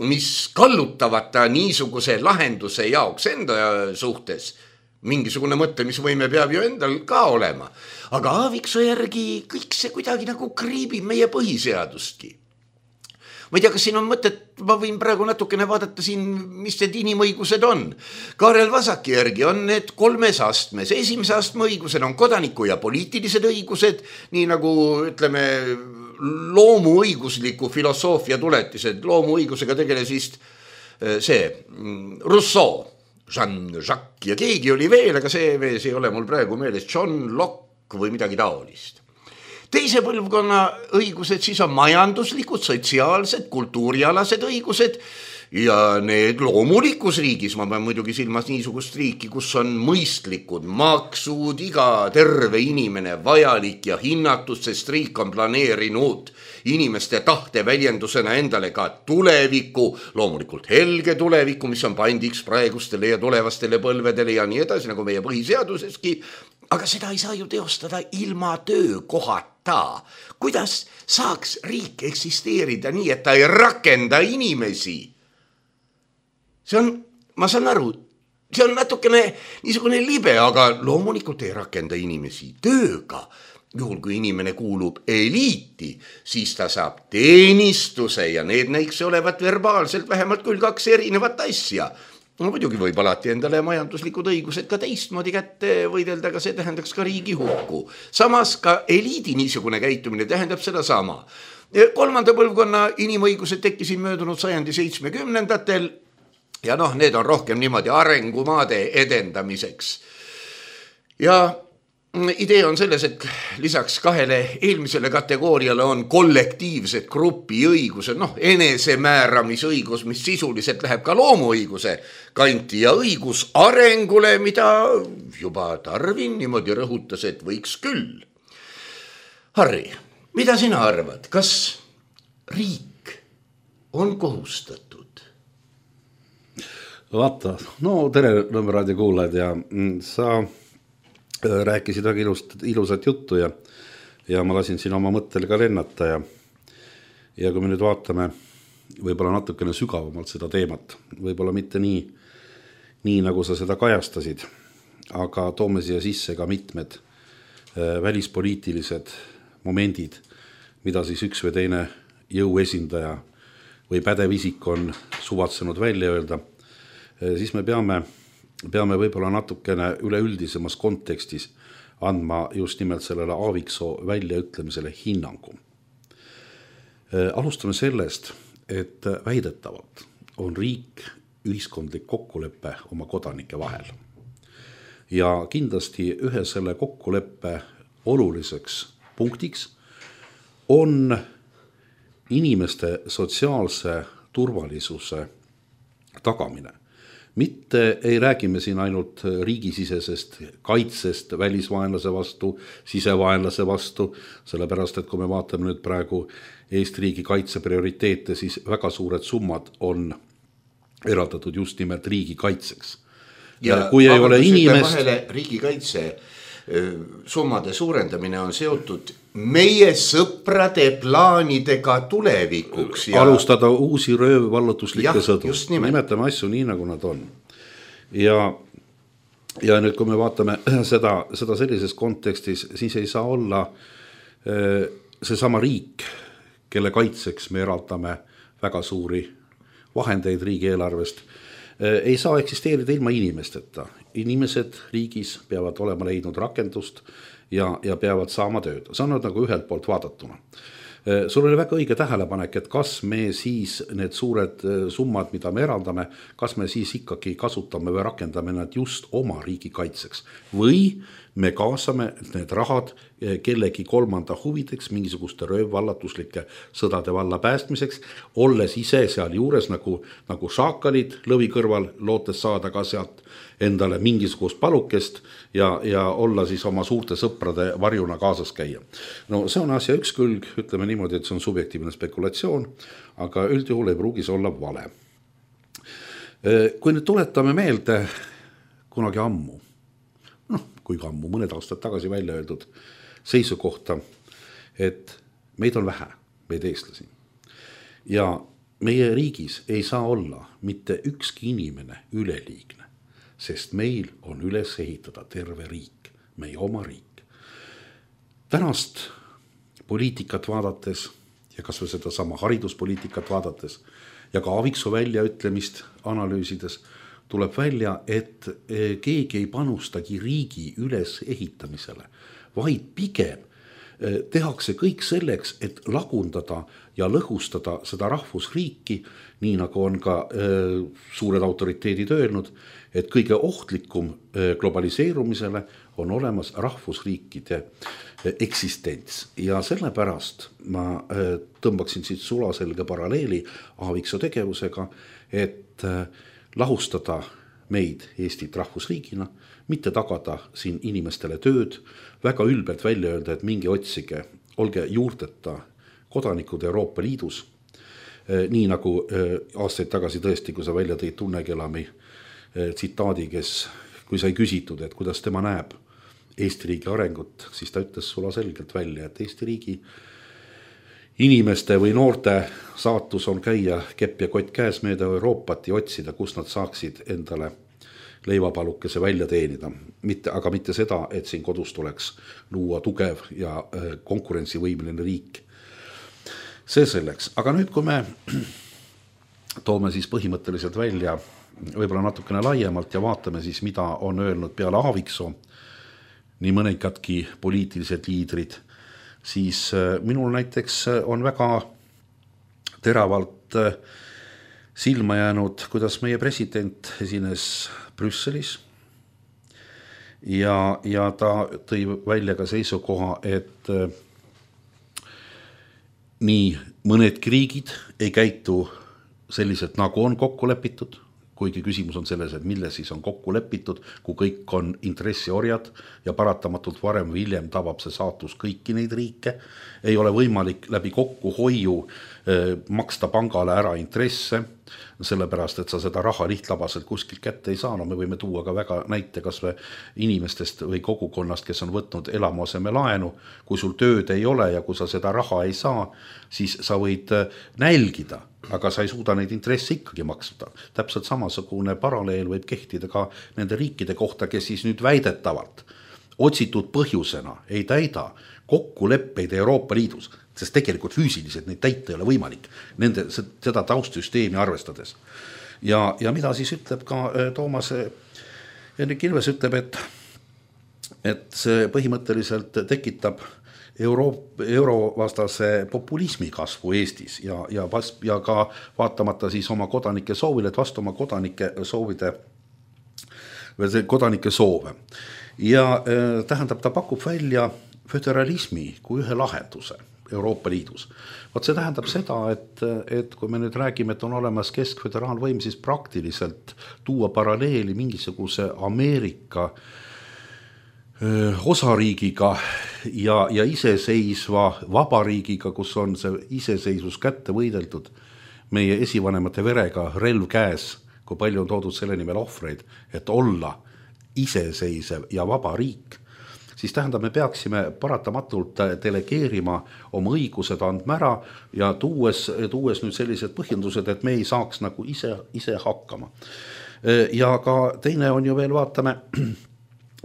mis kallutavad ta niisuguse lahenduse jaoks enda suhtes, mingisugune mõtlemisvõime peab ju endal ka olema. Aga Aaviksoo järgi kõik see kuidagi nagu kriibib meie põhiseadustki. Ma ei tea, kas siin on mõtet, ma võin praegu natukene vaadata siin, mis need inimõigused on. Kaarel Vasaki järgi on need kolmes astmes. Esimese astme õigused on kodaniku ja poliitilised õigused, nii nagu ütleme loomuõigusliku filosoofia tuletised. Loomuõigusega tegeles vist see Rousseau, Jean-Jacques ja keegi oli veel, aga see mees ei ole mul praegu meeles, John Locke või midagi taolist. Teise põlvkonna õigused siis on majanduslikud, sotsiaalsed, kultuurialased õigused ja need loomulikus riigis, ma pean muidugi silmas niisugust riiki, kus on mõistlikud maksud, iga terve inimene vajalik ja hinnatud, sest riik on planeerinud inimeste tahte väljendusena endale ka tuleviku, loomulikult helge tuleviku, mis on pandiks praegustele ja tulevastele põlvedele ja nii edasi, nagu meie põhiseaduseski. Aga seda ei saa ju teostada ilma töökohata. Kuidas saaks riik eksisteerida nii, et ta ei rakenda inimesi? See on, ma saan aru, see on natukene niisugune libe, aga loomulikult ei rakenda inimesi tööga. Juhul, kui inimene kuulub eliiti, siis ta saab teenistuse ja need näiks olevat verbaalselt vähemalt küll kaks erinevat asja. No muidugi võib alati endale majanduslikud õigused ka teistmoodi kätte võidelda, aga see tähendaks ka riigi hukku. Samas ka eliidi niisugune käitumine tähendab seda sama. Kolmanda põlvkonna inimõigused tekkisid möödunud sajandi seitsmekümnendatel ja noh, need on rohkem niimoodi arengumaade edendamiseks. Ja idee on selles, et lisaks kahele eelmisele kategooriale on kollektiivsed grupi õigused, noh, enesemääramisõigus, mis sisuliselt läheb ka loomuõiguse kanti ja õigus arengule, mida juba Darwin niimoodi rõhutas, et võiks küll. Harri, mida sina arvad, kas riik on kohustatud? Vaata, no tere Nõmme raadio kuulajad ja sa rääkisid väga ilust, ilusat juttu ja, ja ma lasin siin oma mõttel ka lennata ja, ja kui me nüüd vaatame võib-olla natukene sügavamalt seda teemat, võib-olla mitte nii, nii nagu sa seda kajastasid, aga toome siia sisse ka mitmed äh, välispoliitilised momendid, mida siis üks või teine jõuesindaja või pädev isik on suvatsenud välja öelda, äh, siis me peame peame võib-olla natukene üleüldisemas kontekstis andma just nimelt sellele Aaviksoo väljaütlemisele hinnangu. Alustame sellest, et väidetavalt on riik ühiskondlik kokkulepe oma kodanike vahel. Ja kindlasti ühe selle kokkuleppe oluliseks punktiks on inimeste sotsiaalse turvalisuse tagamine. Mitte ei räägime siin ainult riigisisesest kaitsest välisvaenlase vastu, sisevaenlase vastu, sellepärast, et kui me vaatame nüüd praegu Eesti riigi kaitse prioriteete, siis väga suured summad on eraldatud just nimelt riigi kaitseks. Ja, ja kui ei ole inimest... Riigi kaitse summade suurendamine on seotud meie sõprade plaanidega tulevikuks. Ja... alustada uusi röövvallutuslikke sõdu. Nimetame asju nii, nagu nad on. Ja, ja nüüd, kui me vaatame seda, seda sellises kontekstis, siis ei saa olla see sama riik, kelle kaitseks me eraldame väga suuri vahendeid riigieelarvest, ei saa eksisteerida ilma inimesteta. Inimesed riigis peavad olema leidnud rakendust ja, ja peavad saama tööd. See on nagu ühelt poolt vaadatuna. Sul oli väga õige tähelepanek, et kas me siis need suured summad, mida me eraldame, kas me siis ikkagi kasutame või rakendame nad just oma riigi kaitseks või me kaasame need rahad kellegi kolmanda huvideks, mingisuguste röövvallatuslike sõdade valla päästmiseks, olles ise seal juures nagu, nagu šaakalid lõvi kõrval, lootes saada ka sealt endale mingisugust palukest ja, ja olla siis oma suurte sõprade varjuna kaasas käia. No see on asja üks külg, ütleme niimoodi, et see on subjektiivne spekulatsioon, aga üldjuhul ei pruugis olla vale. Kui nüüd tuletame meelde kunagi ammu, noh, kui ammu, mõned aastad tagasi välja öeldud seisukohta, et meid on vähe, meid eestlasi. Ja meie riigis ei saa olla mitte ükski inimene üleliigne, sest meil on üles ehitada terve riik, meie oma riik. Tänast poliitikat vaadates ja kas või seda sama hariduspoliitikat vaadates ja ka Aaviksoo väljaütlemist analüüsides tuleb välja, et keegi ei panustagi riigi üles ehitamisele, vaid pigem tehakse kõik selleks, et lagundada ja lõhustada seda rahvusriiki, nii nagu on ka suured autoriteedid öelnud, et kõige ohtlikum globaliseerumisele on olemas rahvusriikide eksistents. Ja sellepärast ma tõmbaksin siit sulaselge paralleeli Aaviksoo tegevusega, et lahustada meid Eestit rahvusriigina, mitte tagada siin inimestele tööd, väga ülbelt välja öelda, et mingi otsige, olge juurteta kodanikud Euroopa Liidus, nii nagu aastaid tagasi tõesti, kui sa välja tõid Tunnekelami tsitaadi, kes, kui sai küsitud, et kuidas tema näeb Eesti riigi arengut, siis ta ütles sula selgelt välja, et Eesti riigi inimeste või noorte saatus on käia kepp ja kott käes mööda Euroopat ja otsida, kus nad saaksid endale leivapalukese välja teenida, mitte, aga mitte seda, et siin kodus tuleks luua tugev ja konkurentsivõimeline riik. See selleks, aga nüüd kui me toome siis põhimõtteliselt välja võib-olla natukene laiemalt ja vaatame siis, mida on öelnud peale Aaviksoo nii mõnikadki poliitilised liidrid, siis minul näiteks on väga teravalt silma jäänud, kuidas meie president esines Brüsselis ja, ja ta tõi välja ka seisukoha, et nii mõnedki riigid ei käitu selliselt, nagu on kokku lepitud, kuigi küsimus on selles, et mille siis on kokku lepitud, kui kõik on intressiorjad ja paratamatult varem või hiljem tabab see saatus kõiki neid riike, ei ole võimalik läbi kokkuhoiu eh, maksta pangale ära intresse, sellepärast, et sa seda raha lihtlabaselt kuskilt kätte ei saa. No me võime tuua ka väga näite kas või inimestest või kogukonnast, kes on võtnud elamuaseme laenu. Kui sul tööd ei ole ja kui sa seda raha ei saa, siis sa võid nälgida, aga sa ei suuda neid intresse ikkagi maksuda. Täpselt samasugune paralleel võib kehtida ka nende riikide kohta, kes siis nüüd väidetavalt otsitud põhjusena ei täida kokkuleppeid Euroopa Liidus, sest tegelikult füüsiliselt neid täita ei ole võimalik nende, seda taustsüsteemi arvestades. Ja, ja mida siis ütleb ka Toomas Hendrik Ilves ütleb, et, et see põhimõtteliselt tekitab euro, eurovastase populismi kasvu Eestis ja, ja, ja ka vaatamata siis oma kodanike soovile, et vastu oma kodanike soovide või see kodanike soove. Ja äh, tähendab, ta pakub välja föderalismi kui ühe lahenduse Euroopa Liidus. Vaat see tähendab seda, et, et kui me nüüd räägime, et on olemas keskföderaalvõim, siis praktiliselt tuua paralleeli mingisuguse Ameerika öö, osariigiga ja, ja iseseisva vabariigiga, kus on see iseseisvus kätte võideldud meie esivanemate verega, relv käes, kui palju on toodud selle nimel ohvreid, et olla iseseisev ja vaba riik, siis tähendab, me peaksime paratamatult delegeerima oma õigused andma ära ja tuues, tuues nüüd sellised põhjendused, et me ei saaks nagu ise, ise hakkama. Ja ka teine on ju veel, vaatame,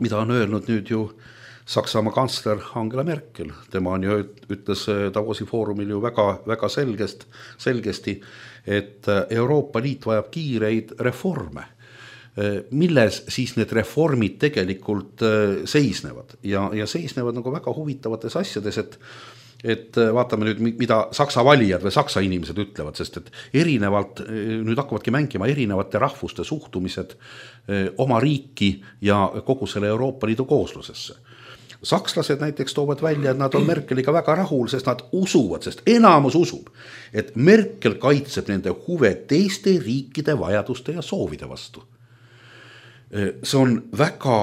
mida on öelnud nüüd ju Saksamaa kantsler Angela Merkel. Tema on ju ütles Davosi foorumil ju väga, väga selgest, selgesti, et Euroopa Liit vajab kiireid reforme, milles siis need reformid tegelikult seisnevad ja, ja seisnevad nagu väga huvitavates asjades, et, et vaatame nüüd, mida Saksa valijad või Saksa inimesed ütlevad, sest et erinevalt, nüüd hakkavadki mängima erinevate rahvuste suhtumised oma riiki ja kogu selle Euroopa Liidu kooslusesse. Sakslased näiteks toovad välja, et nad on Merkeliga väga rahul, sest nad usuvad, sest enamus usub, et Merkel kaitseb nende huve teiste riikide vajaduste ja soovide vastu. See on väga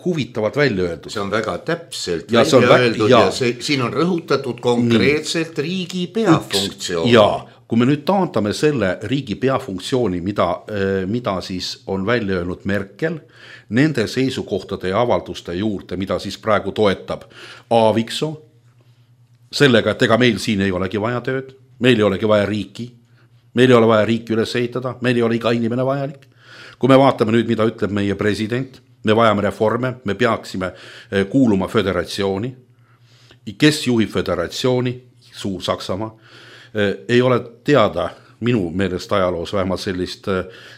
huvitavalt välja öeldud. See on väga täpselt ja välja vä- öeldud ja, ja see, siin on rõhutatud konkreetselt nii. Riigi peafunktsioon. Ja kui me nüüd taantame selle riigi peafunktsiooni, mida, mida siis on välja öelnud Merkel, nende seisukohtade ja avalduste juurde, mida siis praegu toetab Aaviksoo, sellega, et ega meil siin ei olegi vaja tööd, meil ei olegi vaja riiki, meil ei ole vaja riiki üles ehitada, meil ei ole iga inimene vajalik. Kui me vaatame nüüd, mida ütleb meie president, me vajame reforme, me peaksime kuuluma föderatsiooni. Kes juhib föderatsiooni? Suur-Saksamaa. Ei ole teada minu meelest ajaloos vähemalt sellist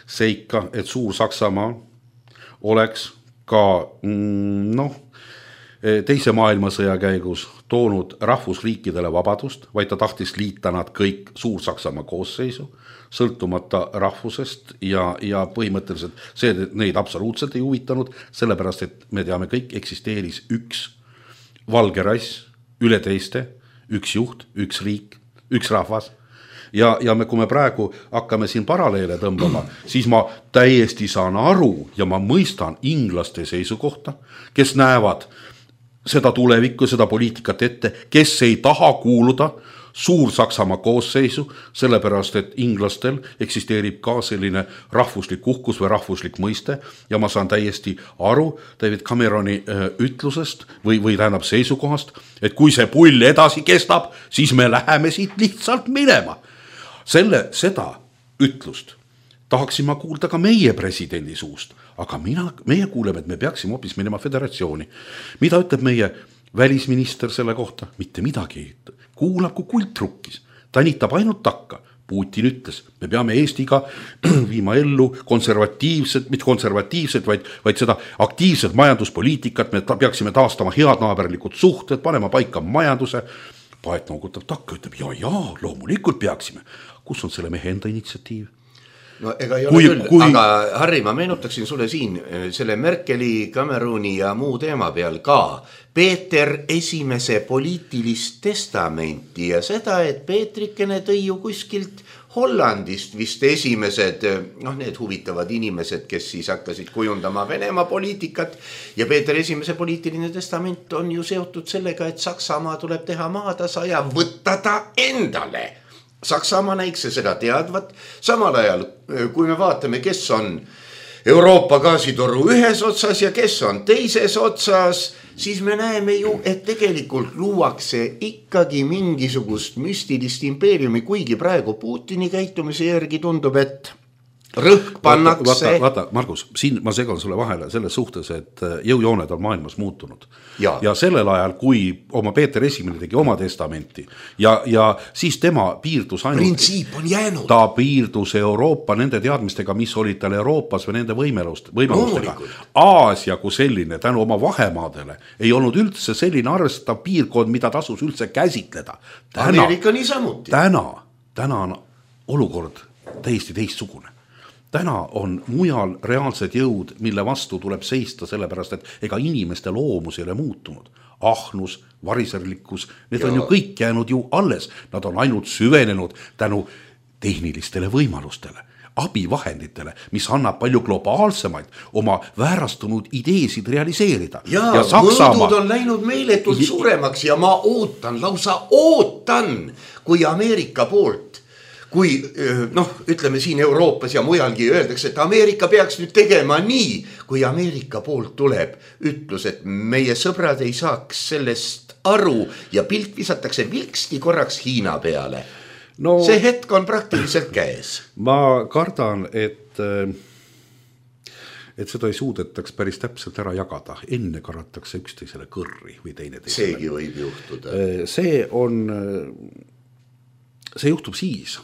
seika, et Suur-Saksamaa oleks ka noh, teise maailmasõja käigus toonud rahvusriikidele vabadust, vaid ta tahtis liita nad kõik Suur-Saksamaa koosseisu, sõltumata rahvusest ja, ja põhimõtteliselt see neid absoluutselt ei huvitanud, sellepärast, et me teame kõik, eksisteeris üks valge rass üle teiste, üks juht, üks riik, üks rahvas. Ja, ja me, kui me praegu hakkame siin paralleele tõmbama, siis ma täiesti saan aru ja ma mõistan inglaste seisukohta, kes näevad seda tulevikku, seda poliitikat ette, kes ei taha kuuluda Suur-Saksamaa koosseisu, sellepärast, et inglastel eksisteerib ka selline rahvuslik uhkus või rahvuslik mõiste ja ma saan täiesti aru David Cameroni ütlusest või, või tähendab seisukohast, et kui see pull edasi kestab, siis me läheme siit lihtsalt minema. Selle, seda ütlust tahaksin ma kuulda ka meie presidendi suust, aga mina, meie kuuleme, et me peaksime hoopis minema föderatsiooni. Mida ütleb meie välisminister selle kohta? Mitte midagi. Kuulab kui kultrukkis. Ta nitab ainult takka. Putin ütles, me peame Eestiga viima ellu konservatiivset, mitte konservatiivset, vaid, vaid seda aktiivset majanduspoliitikat, me ta, peaksime taastama head naaberlikud suhted, panema paika majanduse. Paet noogutab takka, ütleb, ja, ja, loomulikult peaksime. Kus on selle mehe enda initsiatiiv? No ega ei ole kui, küll, kui... aga Harri, ma meenutaksin sulle siin selle Merkeli, Cameroni ja muu teema peal ka Peeter esimese poliitilist testamenti ja seda, et Peetrikene tõi ju kuskilt Hollandist vist esimesed, noh need huvitavad inimesed, kes siis hakkasid kujundama Venemaa poliitikat ja Peeter esimese poliitiline testament on ju seotud sellega, et Saksamaa tuleb teha maatasa ja võtta ta endale. Saksamaa näikse seda teadvat, samal ajal kui me vaatame, kes on Euroopa gaasitoru ühes otsas ja kes on teises otsas, siis me näeme ju, et tegelikult luuakse ikkagi mingisugust müstilist impeeriumi, kuigi praegu Putini käitumise järgi tundub, et rõhk pannakse. Vaata, vaata, Margus, siin ma segan sulle vahele selles suhtes, et jõujooned on maailmas muutunud. Ja, ja sellel ajal, kui oma Peeter esimene tegi oma testamenti ja, ja siis tema piirdus ainult... Printsiip on jäänud. Ta piirdus Euroopa nende teadmistega, mis olid tal Euroopas või nende võimelust, võimelustega. Aasia kui selline, tänu oma vahemaadele, ei olnud üldse selline arvestav piirkond, mida tasus üldse käsitleda. Täna, Ameerika niisamuti. Täna, täna on olukord täiesti teistsugune. Täna on mujal reaalsed jõud, mille vastu tuleb seista sellepärast, et ega inimeste loomus ei ole muutunud. Ahnus, variserlikkus, need ja. On ju kõik jäänud ju alles. Nad on ainult süvenenud tänu tehnilistele võimalustele, abivahenditele, mis annab palju globaalsemaid oma väärastunud ideesid realiseerida. Ja, ja Saksamaa... mõõdud on läinud meeletult suuremaks ja ma ootan, lausa ootan, kui Ameerika poolt kui noh, ütleme siin Euroopas ja mujalgi öeldakse, et Ameerika peaks nüüd tegema nii, kui Ameerika poolt tuleb ütlus, et meie sõbrad ei saaks sellest aru ja pilt visatakse vilksti korraks Hiina peale. No, see hetk on praktiliselt käes. Ma kardan, et, et seda ei suudetaks päris täpselt ära jagada. Enne karatakse üksteisele kõrri või teine teisele. Seegi võib juhtuda. See on, see juhtub siis,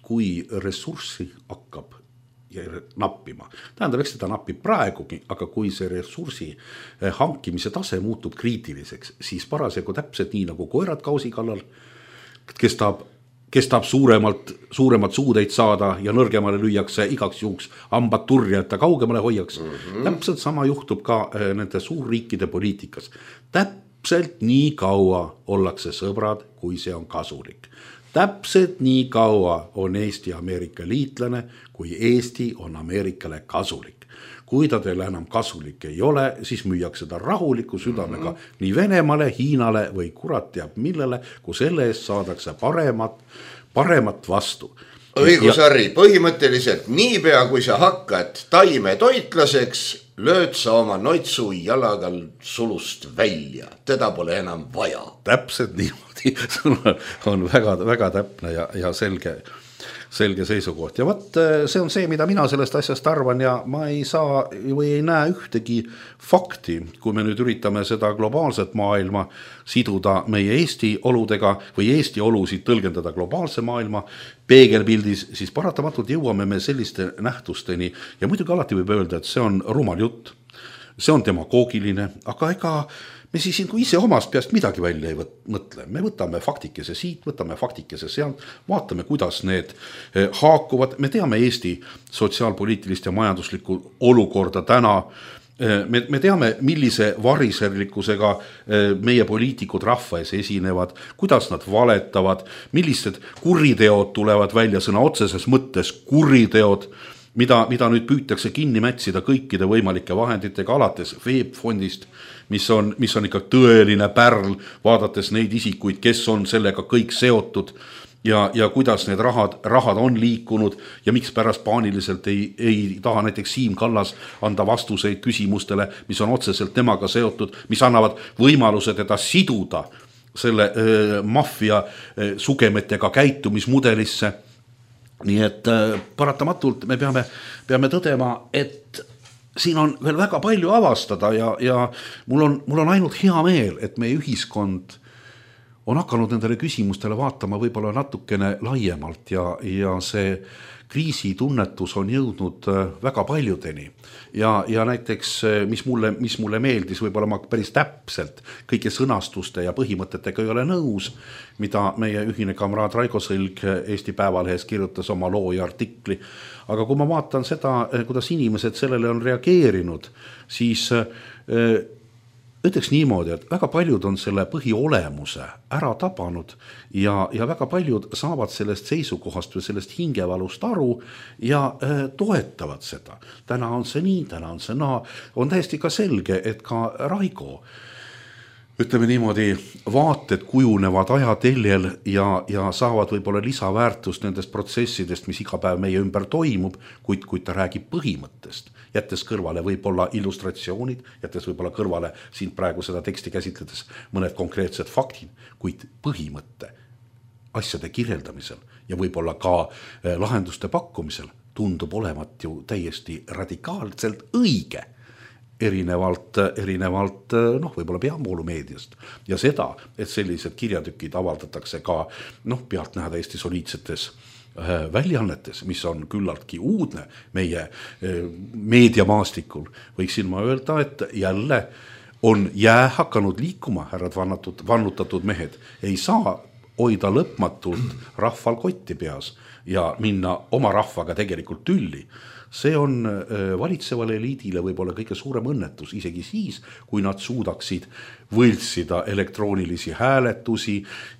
kui ressurssi hakkab nappima. Tähendab, eks seda napib praegugi, aga kui see ressursi hankimise tase muutub kriitiliseks, siis parasjagu täpselt nii nagu koerad kausi kallal, kes tahab, kes tahab suuremalt, suuremat suudeid saada ja nõrgemale lüüakse igaks juhuks hambad turja, et ta kaugemale hoiaks. Mm-hmm. Täpselt sama juhtub ka nende suurriikide poliitikas. Täpselt nii kaua ollakse sõbrad, kui see on kasulik. Täpselt nii kaua on Eesti Ameerika liitlane, kui Eesti on Ameerikale kasulik. Kui ta teile enam kasulik ei ole, siis müüakse ta rahuliku südamega mm-hmm. nii Venemaale, Hiinale või kurat teab millele, kui selle eest saadakse paremat, paremat vastu. Õigus, Harri, põhimõtteliselt niipea, kui sa hakkad taime toitlaseks, lööd sa oma noitsu jalagal sulust välja. Teda pole enam vaja. Täpselt niimoodi. Sul on väga, väga täpne ja, ja selge, selge seisukoht. Ja võt, see on see, mida mina sellest asjast arvan ja ma ei saa või ei näe ühtegi fakti, kui me nüüd üritame seda globaalset maailma siduda meie Eesti oludega või Eesti olusid tõlgendada globaalse maailma peegelpildis, siis paratamatult jõuame me selliste nähtusteni ja muidugi alati võib öelda, et see on rumal jutt, see on demagoogiline, aga ega me siis kui ise omast peast midagi välja ei mõtle. Me võtame faktikese siit, võtame faktikese sealt, vaatame, kuidas need haakuvad. Me teame Eesti sotsiaalpoliitilist ja majanduslikku olukorda täna. Me, me teame, millise variserlikkusega meie poliitikud rahva ees esinevad, kuidas nad valetavad, millised kuriteod tulevad välja sõna otseses mõttes kuriteod, mida, mida nüüd püütakse kinni mätsida kõikide võimalike vahenditega alates veebfondist, mis on, mis on ikka tõeline pärl, vaadates neid isikuid, kes on sellega kõik seotud ja, ja kuidas need rahad, rahad on liikunud ja miks pärast paaniliselt ei, ei taha näiteks Siim Kallas anda vastuseid küsimustele, mis on otseselt temaga seotud, mis annavad võimaluse teda siduda selle äh, maffia äh, sugemetega käitumismudelisse. Nii et äh, paratamatult me peame, peame tõdema, et siin on veel väga palju avastada ja, ja mul on, mul on ainult hea meel, et meie ühiskond on hakanud nendele küsimustele vaatama võib-olla natukene laiemalt ja, ja see kriisitunnetus on jõudnud väga paljudeni ja, ja näiteks mis mulle, mis mulle meeldis, võib-olla ma päris täpselt kõike sõnastuste ja põhimõtetega ei ole nõus, mida meie ühine kamraad Raigo Sõlg Eesti Päevalehes kirjutas oma loo ja artikli, aga kui ma vaatan seda, kuidas inimesed sellele on reageerinud, siis ütleks niimoodi, et väga paljud on selle põhiolemuse ära tabanud ja, ja väga paljud saavad sellest seisukohast või sellest hingevalust aru ja äh, toetavad seda. Täna on see nii, täna on see naa. On täiesti ka selge, et ka Raigo, ütleme niimoodi, vaated kujunevad ajateljel ja, ja saavad võib-olla lisaväärtust nendest protsessidest, mis iga päev meie ümber toimub, kuid, kuid ta räägib põhimõttest, jättes kõrvale võib-olla illustratsioonid, jättes võib-olla kõrvale siin praegu seda teksti käsitledes mõned konkreetsed faktid, kuid põhimõtte asjade kirjeldamisel ja võib-olla ka lahenduste pakkumisel tundub olevat ju täiesti radikaalselt õige. Erinevalt, erinevalt noh, võib-olla peavoolumeediast ja seda, et sellised kirjatükid avaldatakse ka noh, pealt näha täiesti soliidsetes äh, väljaannetes, mis on küllaltki uudne meie äh, meediamaastikul, võiksin ma öelda, et jälle on jää hakanud liikuma, härrad vannatud, vannutatud mehed, ei saa hoida lõpmatult rahval kotti peas ja minna oma rahvaga tegelikult tülli. See on valitsevale eliidile võib-olla kõige suurem õnnetus, isegi siis, kui nad suudaksid võltsida elektroonilisi hääletusi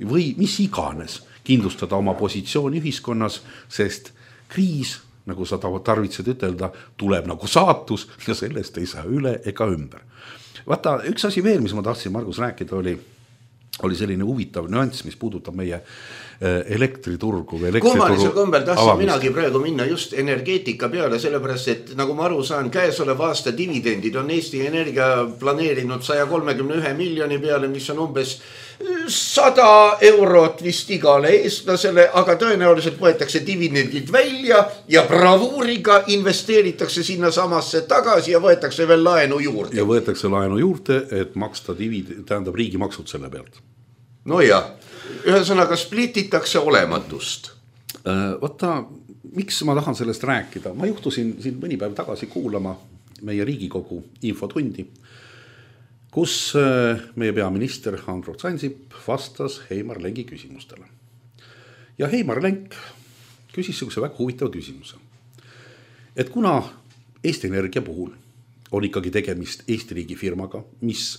või mis iganes, kindlustada oma positsiooni ühiskonnas, sest kriis, nagu sa tarvitsid ütelda, tuleb nagu saatus ja sellest ei saa üle ega ümber. Vaata, üks asi veel, mis ma tahtsin Margus rääkida, oli, oli selline huvitav nüanss, mis puudutab meie elektriturgu või elektrituru kummalisel kombel tahtsin avamist. Minagi praegu minna just energeetika peale, sellepärast, et nagu ma aru saan, käesolev aasta dividendid on Eesti Energia planeerinud sada kolmekümmend üks miljoni peale, mis on umbes sada eurot vist igale eestlasele, aga tõenäoliselt võetakse dividendid välja ja bravuuriga investeeritakse sinna samasse tagasi ja võetakse veel laenu juurde. Ja võetakse laenu juurde, et maksta dividend, tähendab riigi maksud selle pealt. No jah, ühesõnaga splititakse olematust. Võtta, miks ma tahan sellest rääkida? Ma juhtusin siin mõni päev tagasi kuulama meie Riigikogu infotundi, kus meie peaminister Andrus Ansip vastas Heimar Lengi küsimustele. Ja Heimar Lenk küsis sellise väga huvitava küsimuse. Et kuna Eesti Energia puhul on ikkagi tegemist Eesti riigi firmaga, mis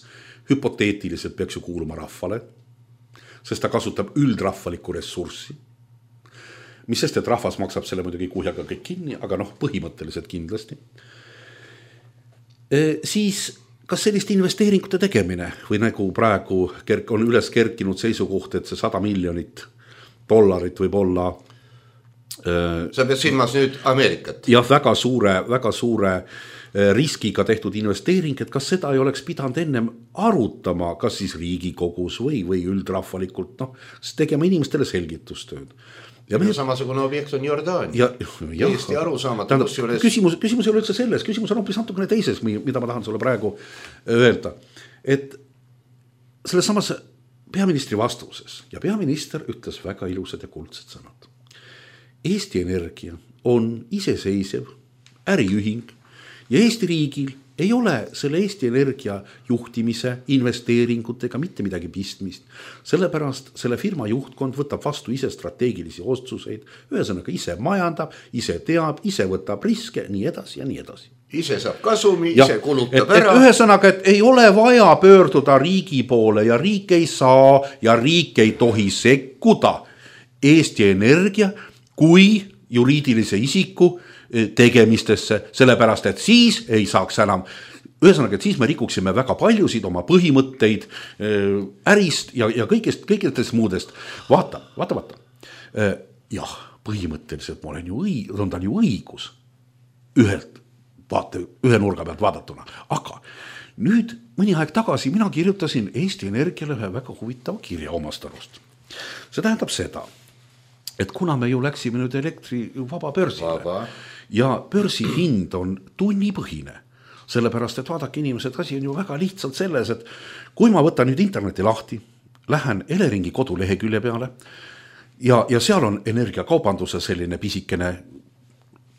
hüpoteetiliselt peaks ju kuuluma rahvale, sest ta kasutab üldrahvalikku ressurssi, mis sest, et rahvas maksab selle muidugi kuhjaga kõik kinni, aga noh, põhimõtteliselt kindlasti, e, siis kas sellist investeeringute tegemine või nagu praegu on üles kerkinud seisukoht, et see sada miljonit dollarit võib olla e, sa pead silmas nüüd Ameerikat. Ja väga suure, väga suure riskiga tehtud investeering, et kas seda ei oleks pidanud ennem arutama, kas siis Riigikogus või, või üldrahvalikult, noh, tegema inimestele selgitustööd. Ja me... samasugune objekt on Jordaania. Ja, ja, Eesti arusaamatu. Juures... Küsimus, küsimus ei ole üldse selles, küsimus on hoopis natukene teises, mida ma tahan sulle praegu öelda. Et selles samas peaministri vastuses ja peaminister ütles väga ilusad ja kuldsed sõnad. Eesti Energia on iseseisev äriühing ja Eesti riigil ei ole selle Eesti Energia juhtimise, investeeringutega mitte midagi pistmist. Sellepärast selle firma juhtkond võtab vastu ise strateegilisi otsuseid, ühesõnaga ise majandab, ise teab, ise võtab riske, nii edasi ja nii edasi. Ise saab kasumi, ja, ise kulutab et, ära. Et ühesõnaga, et ei ole vaja pöörduda riigi poole ja riik ei saa ja riik ei tohi sekkuda Eesti Energia kui juriidilise isiku tegemistesse, sellepärast, et siis ei saaks enam, ühesõnaga, et siis me rikuksime väga paljusid oma põhimõtteid ärist ja, ja kõigest, kõigest muudest. Vaata, vaata, vaata. Jah, põhimõtteliselt ma olen ju õig, on tal ju õigus ühelt, vaata, ühe nurga pealt vaadatuna, aga nüüd mõni aeg tagasi mina kirjutasin Eesti Energiale ühe väga huvitava kirja omast arust. See tähendab seda, et kuna me ju läksime nüüd elektri vaba börsile vaba. Ja börsi hind on tunnipõhine, sellepärast, et vaadake inimesed, asi on ju väga lihtsalt selles, et kui ma võtan nüüd interneti lahti, lähen Eleringi kodulehekülje peale ja, ja seal on energiakaubanduse selline pisikene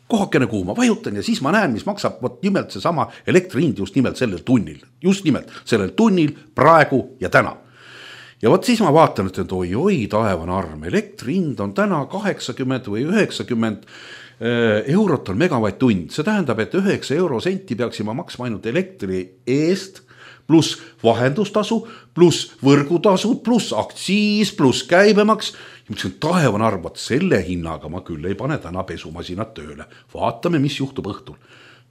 kohakene kuuma, vajutan ja siis ma näen, mis maksab võt nimelt see sama elektrihind just nimelt sellel tunnil, just nimelt sellel tunnil praegu ja täna. Ja võt siis ma vaatan, et oi, oi, taevan arm, elektrihind on täna kaheksakümmend või üheksakümmend eurot on megavatt-tund. See tähendab, et üheksa euro senti peaksime maksma ainult elektri eest, pluss vahendustasu, pluss võrgutasud, pluss aktsiis, pluss käibemaks. Ja mõtlesin, taevan arvat, selle hinnaga ma küll ei pane täna pesumasinat tööle. Vaatame, mis juhtub õhtul.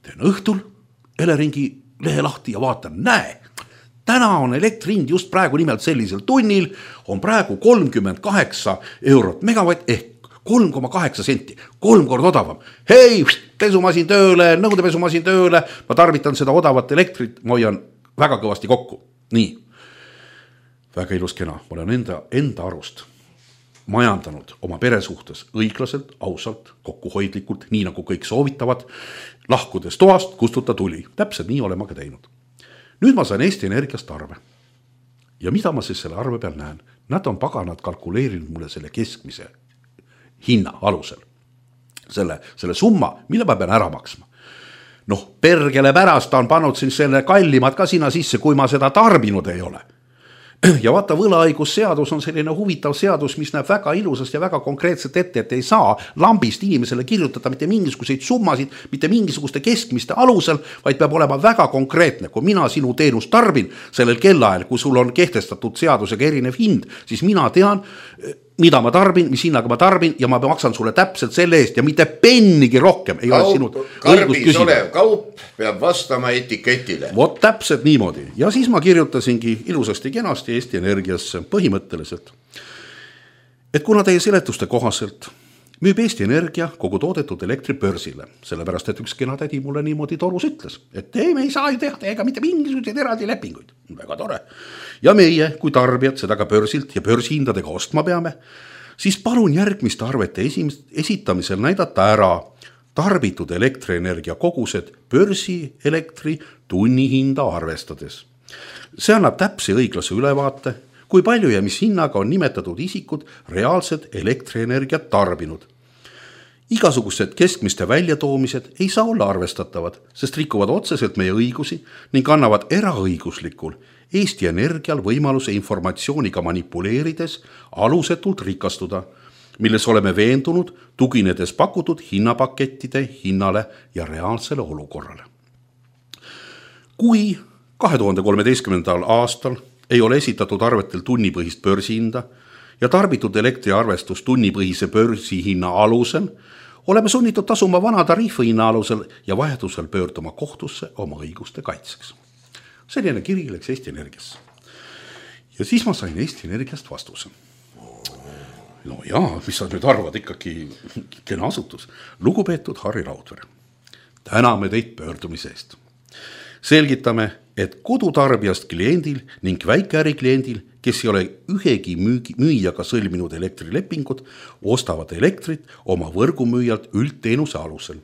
Teen õhtul Eleringi lehe lahti ja vaatan, näe, täna on elektrihind just praegu nimelt sellisel tunnil, on praegu kolmkümmend kaheksa eurot megavatt ehk kolm koma kaheksa senti, kolm kord odavam. Hei, pesumasin tööle, nõudepesumasin tööle, ma tarvitan seda odavat elektrit, ma hoian väga kõvasti kokku. Nii, väga ilus kena, ma olen enda, enda arust majandanud oma pere suhtes õiglaselt, ausalt, kokkuhoidlikult, nii nagu kõik soovitavad, lahkudes toast, kustuta tuli. Täpselt nii olen ma ka teinud. Nüüd ma sain Eesti Energiast arve. Ja mida ma siis selle arve peal näen? Nad on paganad kalkuleerinud mulle selle keskmise hinna alusel. Selle, selle summa, mille ma pean ära maksma. Noh, pergele pärast on pannud siin selle kallimad ka sinna sisse, kui ma seda tarbinud ei ole. Ja vaata, võlaõigusseadus on selline huvitav seadus, mis näeb väga ilusast ja väga konkreetselt ette, et ei saa lambist inimesele kirjutada mitte mingisuguseid summasid, mitte mingisuguste keskmiste alusel, vaid peab olema väga konkreetne. Kui mina sinu teenust tarbin sellel kellaajal, kui sul on kehtestatud seadusega erinev hind, siis mina tean, mida ma tarbin, mis hinnaga ma tarbin ja ma maksan sulle täpselt selle eest ja mitte pennigi rohkem ei kaup, ole sinu õigust küsida. Kaup peab vastama etiketile. Vot täpselt niimoodi. Ja siis ma kirjutasingi ilusasti kenasti Eesti Energiasse põhimõtteliselt, et kuna teie seletuste kohaselt müüb Eesti Energia kogu toodetud elektri börsile, sellepärast, et üks kena tädi mulle niimoodi torus ütles, et ei, me ei saa ju teha ega mitte mingisuguseid eraldi lepinguid. Väga tore. Ja meie, kui tarbijad seda ka börsilt ja börsihindadega ostma peame, siis palun järgmiste arvete esimest, esitamisel näidata ära tarbitud elektrienergia kogused börsi elektri tunnihinda arvestades. See annab täpse õiglase ülevaate, kui palju ja mis hinnaga on nimetatud isikud reaalsed elektrienergiat tarbinud. Igasugused keskmiste väljatoomised ei saa olla arvestatavad, sest rikuvad otseselt meie õigusi ning annavad eraõiguslikul Eesti Energial võimaluse informatsiooniga manipuleerides alusetult rikastuda, milles oleme veendunud, tuginedes pakutud hinnapakettide hinnale ja reaalsele olukorrale. Kui kahe tuhande kolmeteistkümnendal aastal ei ole esitatud arvetel tunnipõhist börsihinda ja tarbitud elektriarvestus tunnipõhise börsihinna alusel, oleme sunnitud tasuma vana tariifihinna alusel ja vahetusel pöörduma kohtusse oma õiguste kaitseks. Selline kiri läks Eesti Energiasse. Ja siis ma sain Eesti Energiast vastuse. No jaa, mis sa nüüd arvad, ikkagi kena asutus. Lugupeetud Harri Raudvere, täname teid pöördumise eest. Selgitame, et kodutarbijast kliendil ning väikeäri kliendil, kes ei ole ühegi müügi, müüjaga sõlminud elektrilepingut, ostavad elektrit oma võrgumüüjalt üldteenuse alusel.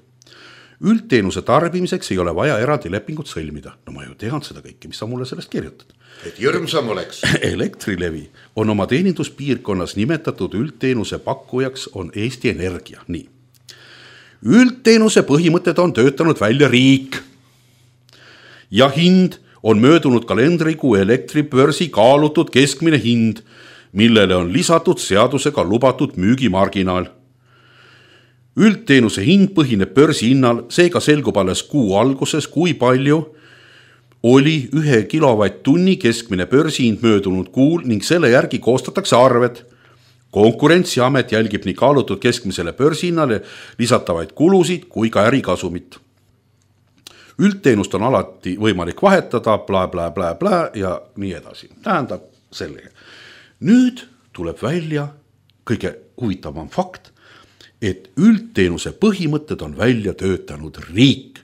Üldteenuse tarbimiseks ei ole vaja eraldi lepingut sõlmida. No ma ju tean seda kõike, mis sa mulle sellest kirjutad. Et jõrmsam oleks. Elektrilevi on oma teeninduspiirkonnas nimetatud üldteenuse pakkujaks on Eesti Energia. Nii. Üldteenuse põhimõtted on töötanud välja riik. Ja hind on möödunud kalendrikuu elektribörsi kaalutud keskmine hind, millele on lisatud seadusega lubatud müügimarginaal. Üldteenuse hind põhineb börsi hinnal, seega selgub alles kuu alguses, kui palju oli ühe kilovatt-tunni keskmine börsihind möödunud kuul ning selle järgi koostatakse arved. Konkurentsiamet jälgib nii kaalutud keskmisele börsihinnale lisatavaid kulusid kui ka ärikasumit. Üldteenust on alati võimalik vahetada, bla, bla, bla, bla ja nii edasi. Tähendab sellega. Nüüd tuleb välja kõige huvitavam fakt, et üldteenuse põhimõtted on välja töötanud riik.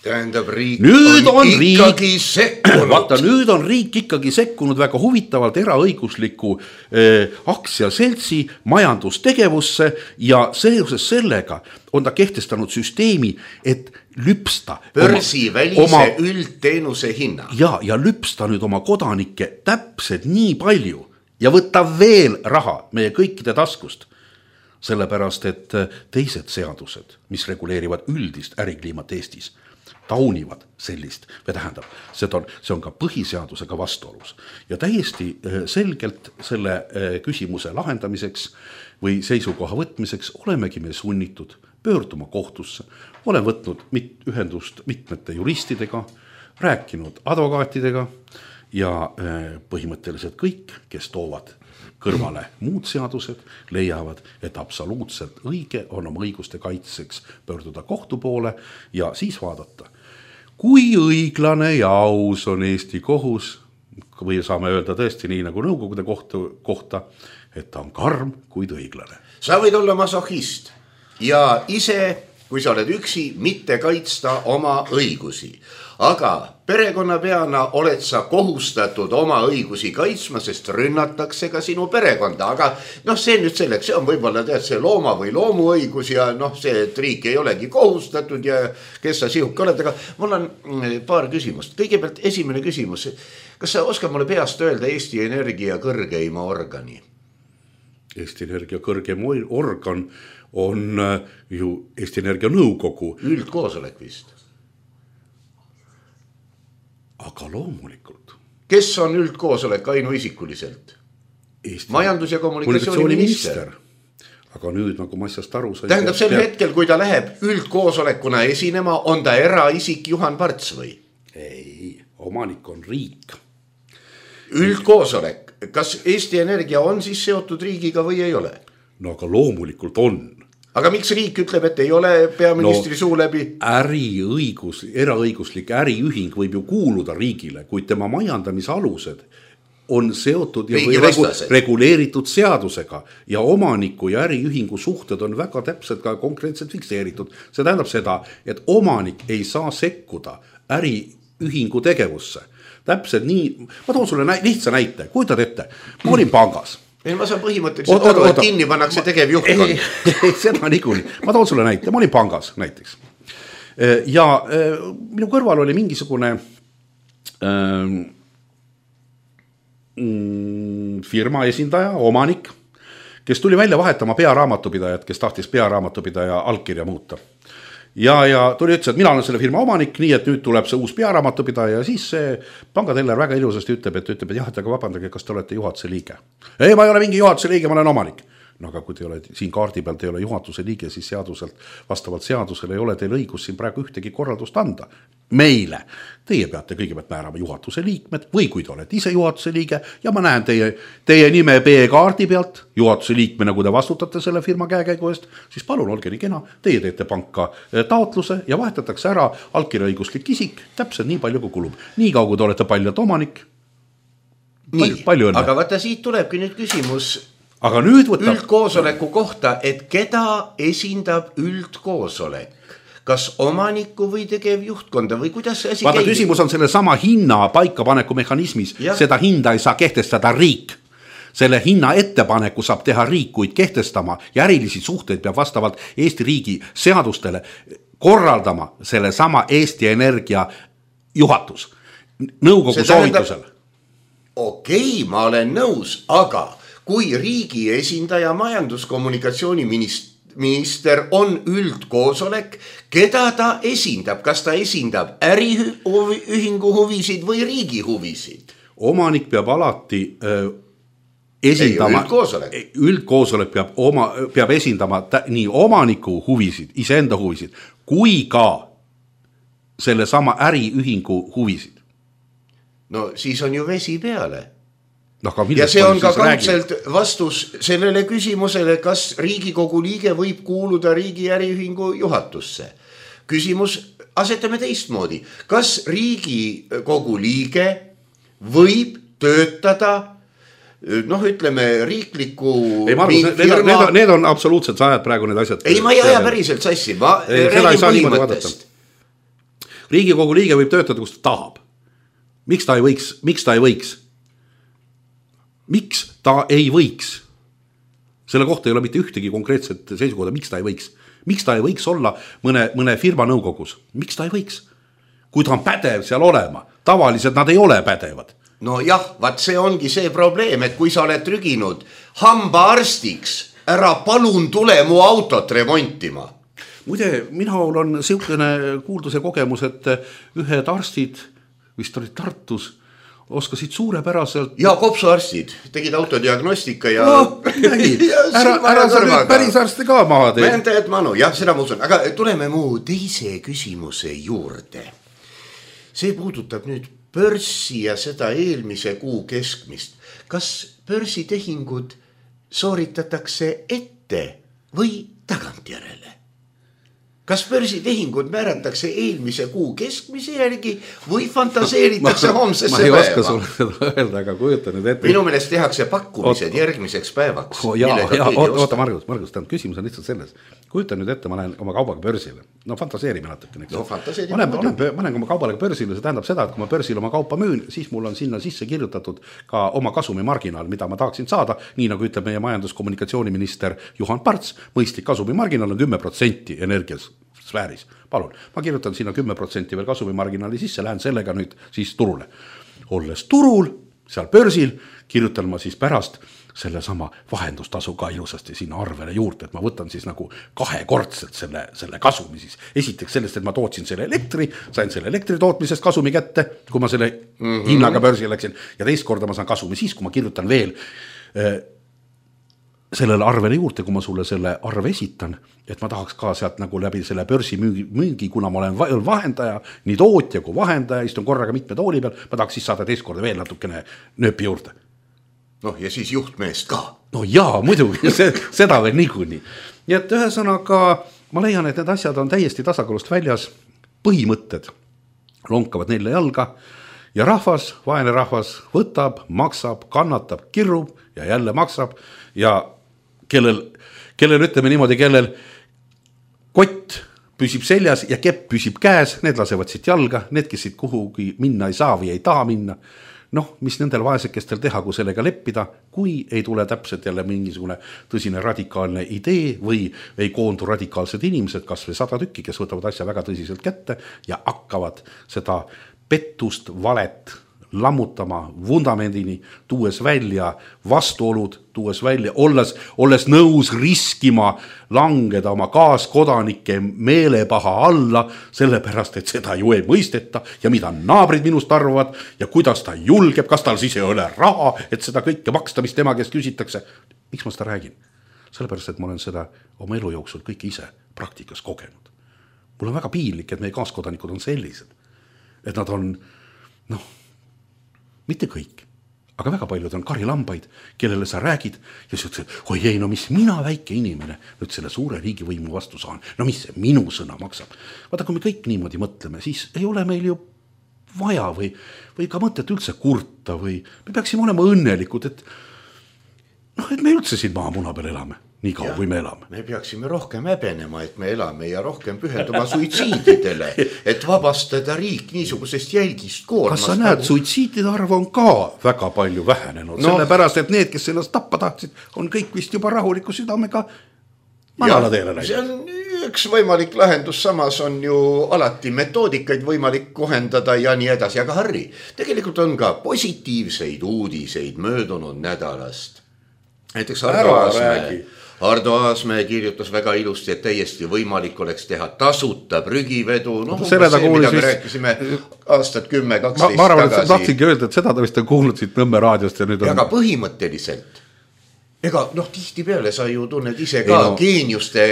tähendab, riik nüüd on, on ikkagi riik, sekkunud. Vaata, nüüd on riik ikkagi sekkunud väga huvitavalt eraõigusliku eh, aktsiaseltsi majandustegevusse ja seoses sellega on ta kehtestanud süsteemi, et lüpsta börsi välise oma, üldteenuse hinna. Ja, ja lüpsta nüüd oma kodanikke täpselt nii palju ja võtta veel raha meie kõikide taskust. Sellepärast, et teised seadused, mis reguleerivad üldist ärikliimat Eestis, taunivad sellist, või tähendab, see on, see on ka põhiseadusega vastuolus. Ja täiesti selgelt selle küsimuse lahendamiseks või seisukoha võtmiseks olemegi me sunnitud pöörduma kohtusse. Olen võtnud mit, ühendust mitmete juristidega, rääkinud advokaatidega ja põhimõtteliselt kõik, kes toovad kõrvale muud seadused, leiavad, et absoluutselt õige on oma õiguste kaitseks pöörduda kohtu poole ja siis vaadata, kui õiglane ja aus on Eesti kohus, või saame öelda tõesti nii nagu nõukogude kohtu, kohta, et ta on karm, kuid õiglane. Sa võid olla masohhist ja ise, kui sa oled üksi, mitte kaitsta oma õigusi. Aga perekonnapeana oled sa kohustatud oma õigusi kaitsma, sest rünnatakse ka sinu perekonda. Aga noh, see nüüd selleks, see on võib-olla tead see looma või loomu õigus ja noh, see, et riik ei olegi kohustatud ja kes sa sihuke oled. Aga mul on paar küsimust. Kõigepealt esimene küsimus. Kas sa oskad mulle peast öelda Eesti Energia kõrgeima organi? Eesti Energia kõrgem organ on ju Eesti Energia nõukogu. Üldkoosolek vist. Aga loomulikult. Kes on üldkoosolek ainuisikuliselt? Eesti majandus- ja kommunikatsiooniminister. Aga nüüd nagu ma asjast aru sain. Tähendab sel peab... hetkel, kui ta läheb üldkoosolekuna esinema, on ta eraisik Juhan Parts või? Ei, omanik on riik. Üldkoosolek. Kas Eesti Energia on siis seotud riigiga või ei ole? No aga loomulikult on. Aga miks riik ütleb, et ei ole peaministri no, suu läbi? Äriõigus, eraõiguslik äriühing võib ju kuuluda riigile, kuid tema majandamise alused on seotud ja või regu, reguleeritud seadusega ja omaniku ja äriühingu suhted on väga täpselt ka konkreetselt fikseeritud. See tähendab seda, et omanik ei saa sekkuda äriühingu tegevusse. Täpselt nii, ma toon sulle nä- lihtsa näite, kujutad ette, ma olin pangas. Ei, ma saan põhimõtteliselt aru, et kinni pannakse tegev juhtkond. Ei, ei, seda niikuuni. Ma toon sulle näite. Ma olin pangas näiteks. Ja minu kõrval oli mingisugune ähm, firma esindaja, omanik, kes tuli välja vahetama pearaamatupidajat, kes tahtis pearaamatupidaja allkirja muuta. Ja, ja tuli ütles, et mina olen selle firma omanik, nii et nüüd tuleb see uus pearaamatupidaja ja siis see pangateller väga ilusasti ütleb, et ütleb, et jah, et aga vabandage, kas te olete juhatuse liige? Ei, ma ei ole mingi juhatuse liige, ma olen omanik. No aga kui te ole, siin kaardi pealt ei ole juhatuse liige, siis seaduselt, vastavalt seadusele ei ole teil õigus siin praegu ühtegi korraldust anda. Meile. Teie peate kõigepealt määrama juhatuse liikmed või kui te olete ise juhatuse liige ja ma näen teie, teie nime B-kaardi pealt juhatuse liikmena, kui te vastutate selle firma käekäigu eest, siis palun olge nii kena, teie teete panka taotluse ja vahetatakse ära allkirjaõiguslik isik täpselt nii palju kui kulub. Nii kaugu te olete paljalt omanik. Nii, palju aga vaata siit tulebki nüüd küsimus aga nüüd võtab... üldkoosoleku kohta, et keda esindab üldkoosolek? Kas omaniku või tegev juhtkonda või kuidas see asi vaata, käib? Küsimus on selle sama hinna paikapaneku mehhanismis. Ja. Seda hinda ei saa kehtestada riik. Selle hinna ettepaneku saab teha riik, kuid kehtestama ja ärilisi suhteid peab vastavalt Eesti riigi seadustele korraldama selle sama Eesti Energia juhatus. Nõukogu soovitusel. Okei, ma olen nõus, aga kui riigi esindaja majanduskommunikatsiooniminister on üldkoosolek, keda ta esindab? Kas ta esindab äriühingu huvisid või riigi huvisid? Omanik peab alati äh, esindama. Ei, üldkoosolek. Üldkoosolek peab, oma, peab esindama tä, nii omaniku huvisid, iseenda huvisid, kui ka selle sama äriühingu huvisid. No siis on ju vesi peale. No, ja see on ka kaudselt vastus sellele küsimusele, kas Riigikogu liige võib kuuluda riigi äriühingu juhatusse. Küsimus asetame teistmoodi. Kas Riigikogu liige võib töötada, noh ütleme, riikliku ei, Margus, firma... Need on, need on absoluutselt, sa ajad praegu need asjad. Ei, ma ei aja päriselt sassi, ma ei, räägin põhimõttest. Riigikogu liige võib töötada, kus ta tahab. Miks ta ei võiks? Miks ta ei võiks? Miks ta ei võiks? Selle kohta ei ole mitte ühtegi konkreetset seisukohta, miks ta ei võiks. Miks ta ei võiks olla mõne, mõne firma nõukogus? Miks ta ei võiks? Kui ta on pädev seal olema, tavaliselt nad ei ole pädevad. No jah, vaat see ongi see probleem, et kui sa oled trüginud hambaarstiks, ära palun tule mu autot remontima. Muide, minul on siukene kuulduse kogemus, et ühed arstid, vist olid Tartus, oskasid suurepäraselt. Ja kopsuarstid tegid autodiagnostika ja... No, ja ära ära sa nüüd päris arsti ka maha tee. Vähendajad manu, jah, seda ma usun. Aga tuleme mu teise küsimuse juurde. See puudutab nüüd börsi ja seda eelmise kuu keskmist. Kas börsitehingud sooritatakse ette või tagantjärele? Kas börsitehingud määratakse eelmise kuu keskmise järgi või fantaseeritakse homsesse päeva? Ma ei oska sulle seda öelda, aga kujuta nüüd ette. Minu meelest tehakse pakkumised oot, järgmiseks päevaks. Oh, jaa, jaa, oota Margus, Margus, tähendab, küsimus on lihtsalt selles. Kujuta nüüd ette, ma lähen oma kaubaga börsile. No fantaseerime natuke. No fantaseerime. Ma lähen, ma lähen oma kaubaga börsile, see tähendab seda, et kui ma börsil oma kaupa müün, siis mul on sinna sisse kirjutatud ka oma kasumi marginaal, mida ma tahaksin saada, nii nagu ütleb meie majandus-kommunikatsiooniminister Juhan Parts, mõistlik kasumi marginaal on kümme protsenti energias sfääris. Palun, ma kirjutan sinna kümme protsenti veel kasumimarginaali sisse, lähen sellega nüüd siis turule. Olles turul, seal börsil, kirjutan ma siis pärast selle sama vahendustasu ka ilusasti sinna arvele juurde, et ma võtan siis nagu kahekordselt selle, selle kasumi siis. Esiteks sellest, et ma tootsin selle elektri, sain selle elektri tootmisest kasumi kätte, kui ma selle mm-hmm. hinnaga börsil läksin, ja teist korda ma saan kasumi siis, kui ma kirjutan veel äh, sellele arvele juurde, kui ma sulle selle arve esitan, et ma tahaks ka sealt nagu läbi selle börsi müügi, müügi, kuna ma olen vahendaja, nii tootja kui vahendaja, istun korraga mitme tooli peal, ma tahaks siis saada teist korda veel natukene nööpi juurde. Noh, ja siis juhtmeest ka. No jaa, muidugi, seda veel niikuinii. Nii et ühesõnaga, ma leian, et need asjad on täiesti tasakaalust väljas, põhimõtted lonkavad neile jalga ja rahvas, vaene rahvas võtab, maksab, kannatab, kirrub ja jälle maksab ja kellel, kellel ütleme niimoodi, kellel kott püsib seljas ja kepp püsib käes, need lasevad siit jalga, need, kes siit kuhugi minna ei saa või ei taha minna. Noh, mis nendel vaesekestel teha, kui sellega leppida, kui ei tule täpselt jälle mingisugune tõsine radikaalne idee või ei koondu radikaalsed inimesed, kas või sada tükki, kes võtavad asja väga tõsiselt kätte ja hakkavad seda pettust, valet lammutama vundamendini, tuues välja vastuolud, tuues välja, olles, olles nõus riskima langeda oma kaaskodanike meelepaha alla, sellepärast, et seda ju ei mõisteta ja mida naabrid minust arvavad ja kuidas ta julgeb, kas tal siis ei ole raha, et seda kõike maksta, mis tema kes küsitakse. Miks ma seda räägin? Sellepärast, et ma olen seda oma elu jooksul kõik ise praktikas kogenud. Mul on väga piinlik, et meie kaaskodanikud on sellised, et nad on, noh, mitte kõik, aga väga paljud on karilambaid, kellele sa räägid ja sa ütled, oi ei, no mis mina väike inimene nüüd selle suure riigivõimu vastu saan, no mis see minu sõna maksab. Vaata, kui me kõik niimoodi mõtleme, siis ei ole meil ju vaja või, või ka mõtet üldse kurta või me peaksime olema õnnelikud, et, noh, et me üldse siin maa muna peal elame. Nii kaua, kui me elame. Me peaksime rohkem häbenema, et me elame ja rohkem pühenduma suitsiididele, et vabastada riik niisugusest jälgist koormast. Kas sa näed, suitsiidide arv on ka väga palju vähenenud, no, sellepärast, et need, kes ennast tappa tahtsid, on kõik vist juba rahuliku südamega manala teele läinud. See on üks võimalik lahendus, samas on ju alati metoodikaid võimalik kohendada ja nii edasi, aga Harri, tegelikult on ka positiivseid uudiseid möödunud nädalast. Näiteks Ardo Aasmäe. Ardo Aasmäe kirjutas väga ilusti, et täiesti võimalik oleks teha tasuta prügivedu. No, no, see, mida me rääkisime aastat kümme kaksteist ma, ma arvan, tagasi. Ma tahtsingi öelda, et seda ta vist on kuulnud siit Nõmme raadiost. Ja nüüd on... Aga põhimõtteliselt, ega noh, tihti peale sa ju tunned ise ka no. geeniuste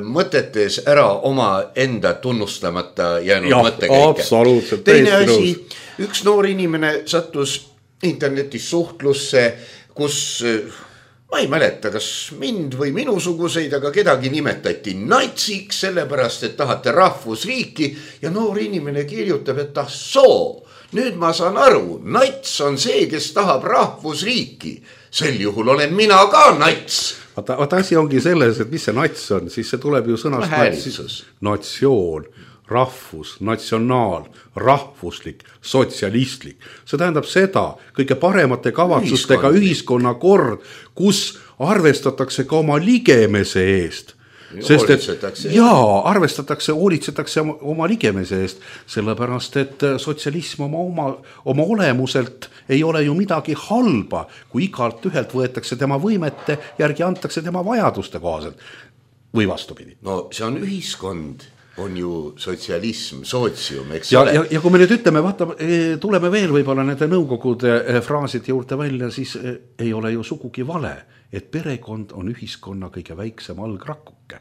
mõtetes ära oma enda tunnustamata jäänud ja, mõttekäike. Teine asi, üks noor inimene sattus internetis suhtlusse, kus... Ma ei mäleta, kas mind või minusuguseid, aga kedagi nimetati natsiks, sellepärast, et tahate rahvusriiki ja noor inimene kirjutab, et ah soo, nüüd ma saan aru, nats on see, kes tahab rahvusriiki. Sel juhul olen mina ka nats. Vaata, vaata asi ongi selles, et mis see nats on, siis see tuleb ju sõnast natsioon, rahvus, natsionaal, rahvuslik, sotsialistlik. See tähendab seda kõige paremate kavatsustega ühiskonnakord, kus arvestatakse ka oma ligemese eest. Sest et jaa, arvestatakse, hoolitsetakse oma ligemese eest, sellepärast et sotsialism oma, oma, oma olemuselt ei ole ju midagi halba, kui igalt ühelt võetakse tema võimete järgi antakse tema vajaduste kohaselt või vastupidi. No see on ühiskond, on ju sotsialism, sootsium, eks ja, ole. Ja, ja kui me nüüd ütleme, vaata, tuleme veel võib-olla nende nõukogude fraaside juurde välja, siis ei ole ju sugugi vale, et perekond on ühiskonna kõige väiksem algrakuke.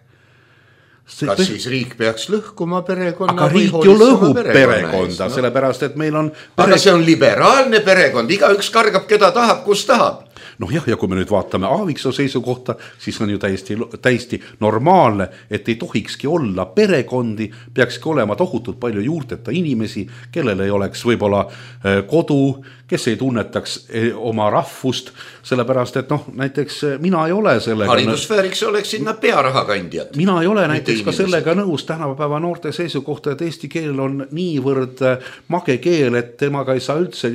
See kas siis riik peaks lõhkuma perekonna? Aga riik ju lõhub perekonda, no? Sellepärast, et meil on... Pere... Aga see on liberaalne perekond, iga üks kargab, keda tahab, kus tahab. Noh jah, ja kui me nüüd vaatame Aaviksoo seisukohta, siis on ju täiesti, täiesti normaalne, et ei tohikski olla perekondi, peakski olema tohutult palju juurteta inimesi, kellel ei oleks võib-olla kodu, kes ei tunnetaks oma rahvust, sellepärast, et noh, näiteks mina ei ole sellega... Haridusfääriks oleks sinna pearahakandjad. Mina ei ole näiteks ka sellega nõus tänapäeva noorte seisukohta, et eesti keel on niivõrd mage keel, et temaga ei saa üldse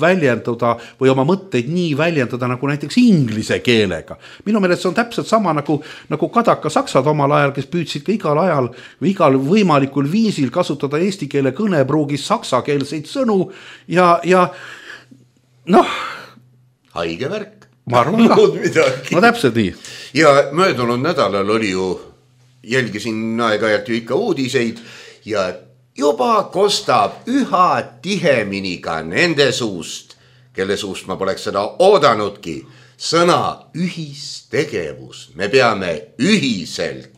väljenduda või oma mõtteid nii väljendada nagu näiteks inglise keelega. Minu meelest see on täpselt sama nagu, nagu kadaka saksad omal ajal, kes püüdsid ka igal ajal või igal võimalikul viisil kasutada eesti keele kõnepruugis saksakeelseid sõnu ja, ja noh. Haige värk. Ma arvan ka. No täpselt nii. Ja möödunud nädalal oli ju, jälgisin aeg-ajalt ju ikka uudiseid ja juba kostab üha tihemini ka nende suust, kelle suust ma poleks seda oodanudki, sõna ühistegevus. Me peame ühiselt.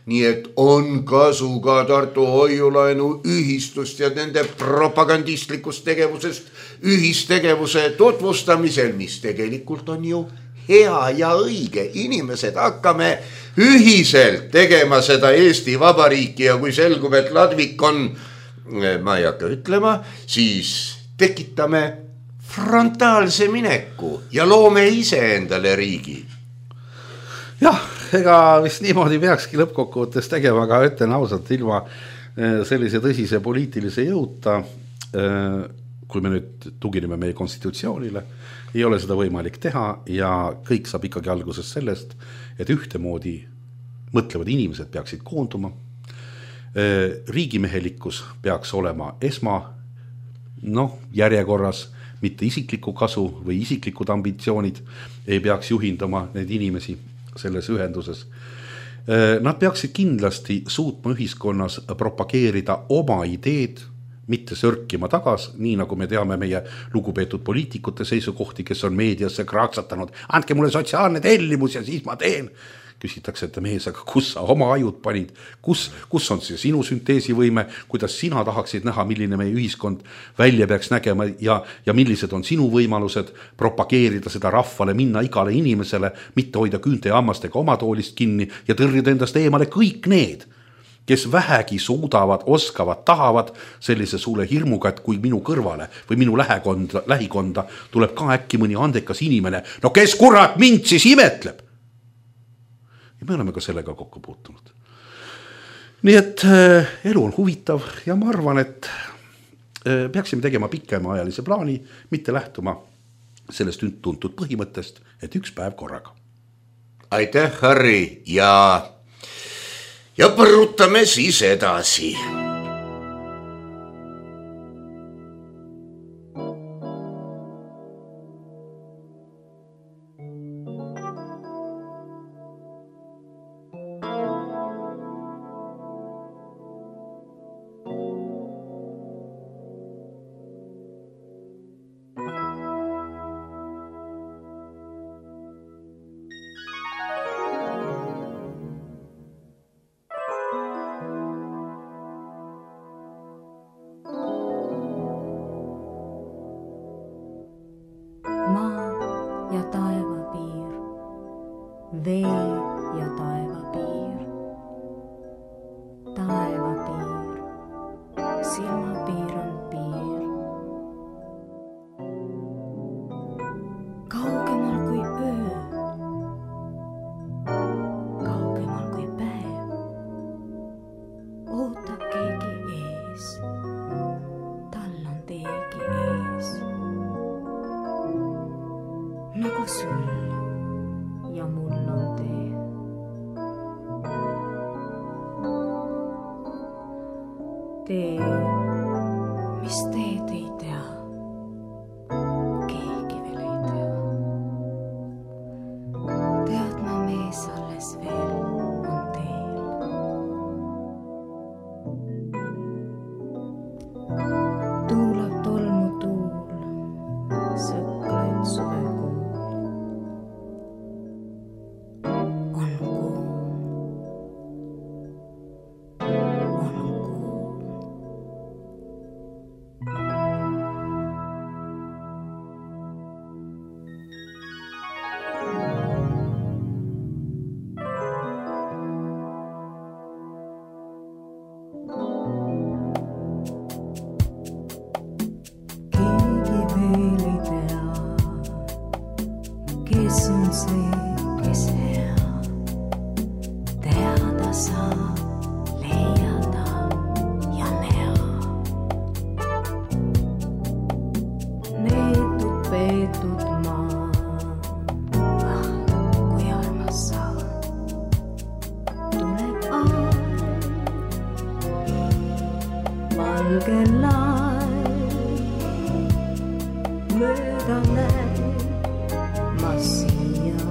Nii et on kasu ka Tartu hoiulaenu ühistust ja nende propagandistlikust tegevusest ühistegevuse tutvustamisel, mis tegelikult on ju hea ja õige. Inimesed hakkame ühiselt tegema seda Eesti Vabariiki ja kui selgub, et Ladvik on, ma ei hakka ütlema, siis tekitame frontaalse mineku ja loome ise endale riigi. Jah, ega vist niimoodi peakski lõppkokkuvõttes tegema, aga ütlen ausalt ilma sellise tõsise poliitilise jõuta, kui me nüüd tugineme meie konstitutsioonile, ei ole seda võimalik teha ja kõik saab ikkagi alguses sellest, et ühtemoodi mõtlevad inimesed peaksid koonduma. Riigimehelikkus peaks olema esma noh, järjekorras, mitte isikliku kasu või isiklikud ambitsioonid ei peaks juhindama neid inimesi selles ühenduses. Nad peaksid kindlasti suutma ühiskonnas propageerida oma ideed, mitte sörkima tagas, nii nagu me teame meie lugupeetud poliitikute seisukohti, kes on meediasse kraatsatanud. Andke mulle sotsiaalne tellimus ja siis ma teen. Küsitakse, et mees, aga kus sa oma ajud panid? Kus, kus on see sinu sünteesivõime? Kuidas sina tahaksid näha, milline meie ühiskond välja peaks nägema ja, ja millised on sinu võimalused propageerida seda rahvale, minna igale inimesele, mitte hoida küünte ja hammastega oma toolist kinni ja tõrjuda endast eemale kõik need, kes vähegi suudavad, oskavad, tahavad sellise suule hirmuga, et kui minu kõrvale või minu lähekonda, lähikonda tuleb ka äkki mõni andekas inimene, no kes kurat mind siis imetleb? Ja me oleme ka sellega kokku puutunud. Nii et äh, elu on huvitav ja ma arvan, et äh, peaksime tegema pikema ajalise plaani, mitte lähtuma sellest tuntud põhimõttest, et üks päev korraga. Aitäh, Harri, ja, ja põrutame siis edasi. tee, mis teed ei tea, keegi veel ei tea. Teadma mees alles veel on teel. Tuulab tolmu tuul, sõklaid suvekuul. On kuu, on kuu. Keegi veel ei tea, kes on see, kes hea. Teada saab, leiada ja näha. Neetud, peetud maa, ah, kui armas sa. Tuleb aeg, valge laev, mööda näeb, ma siia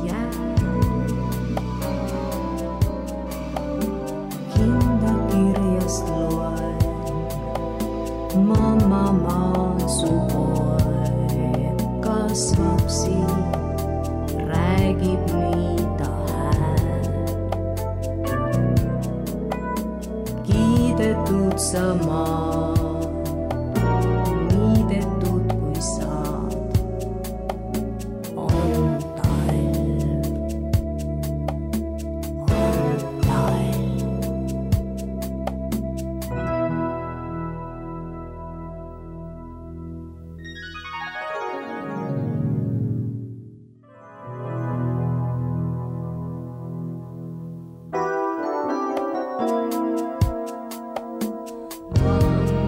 jään. Kinda kirjast loen, mamma maa su poeg kasvab siin, räägib nii ta hääl. Kiidetud sa maa, niidetud kui saad. On talv, on talv. One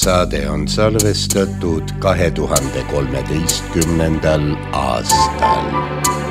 saade on salvestatud kahe tuhande kolmeteistkümnendal aastal.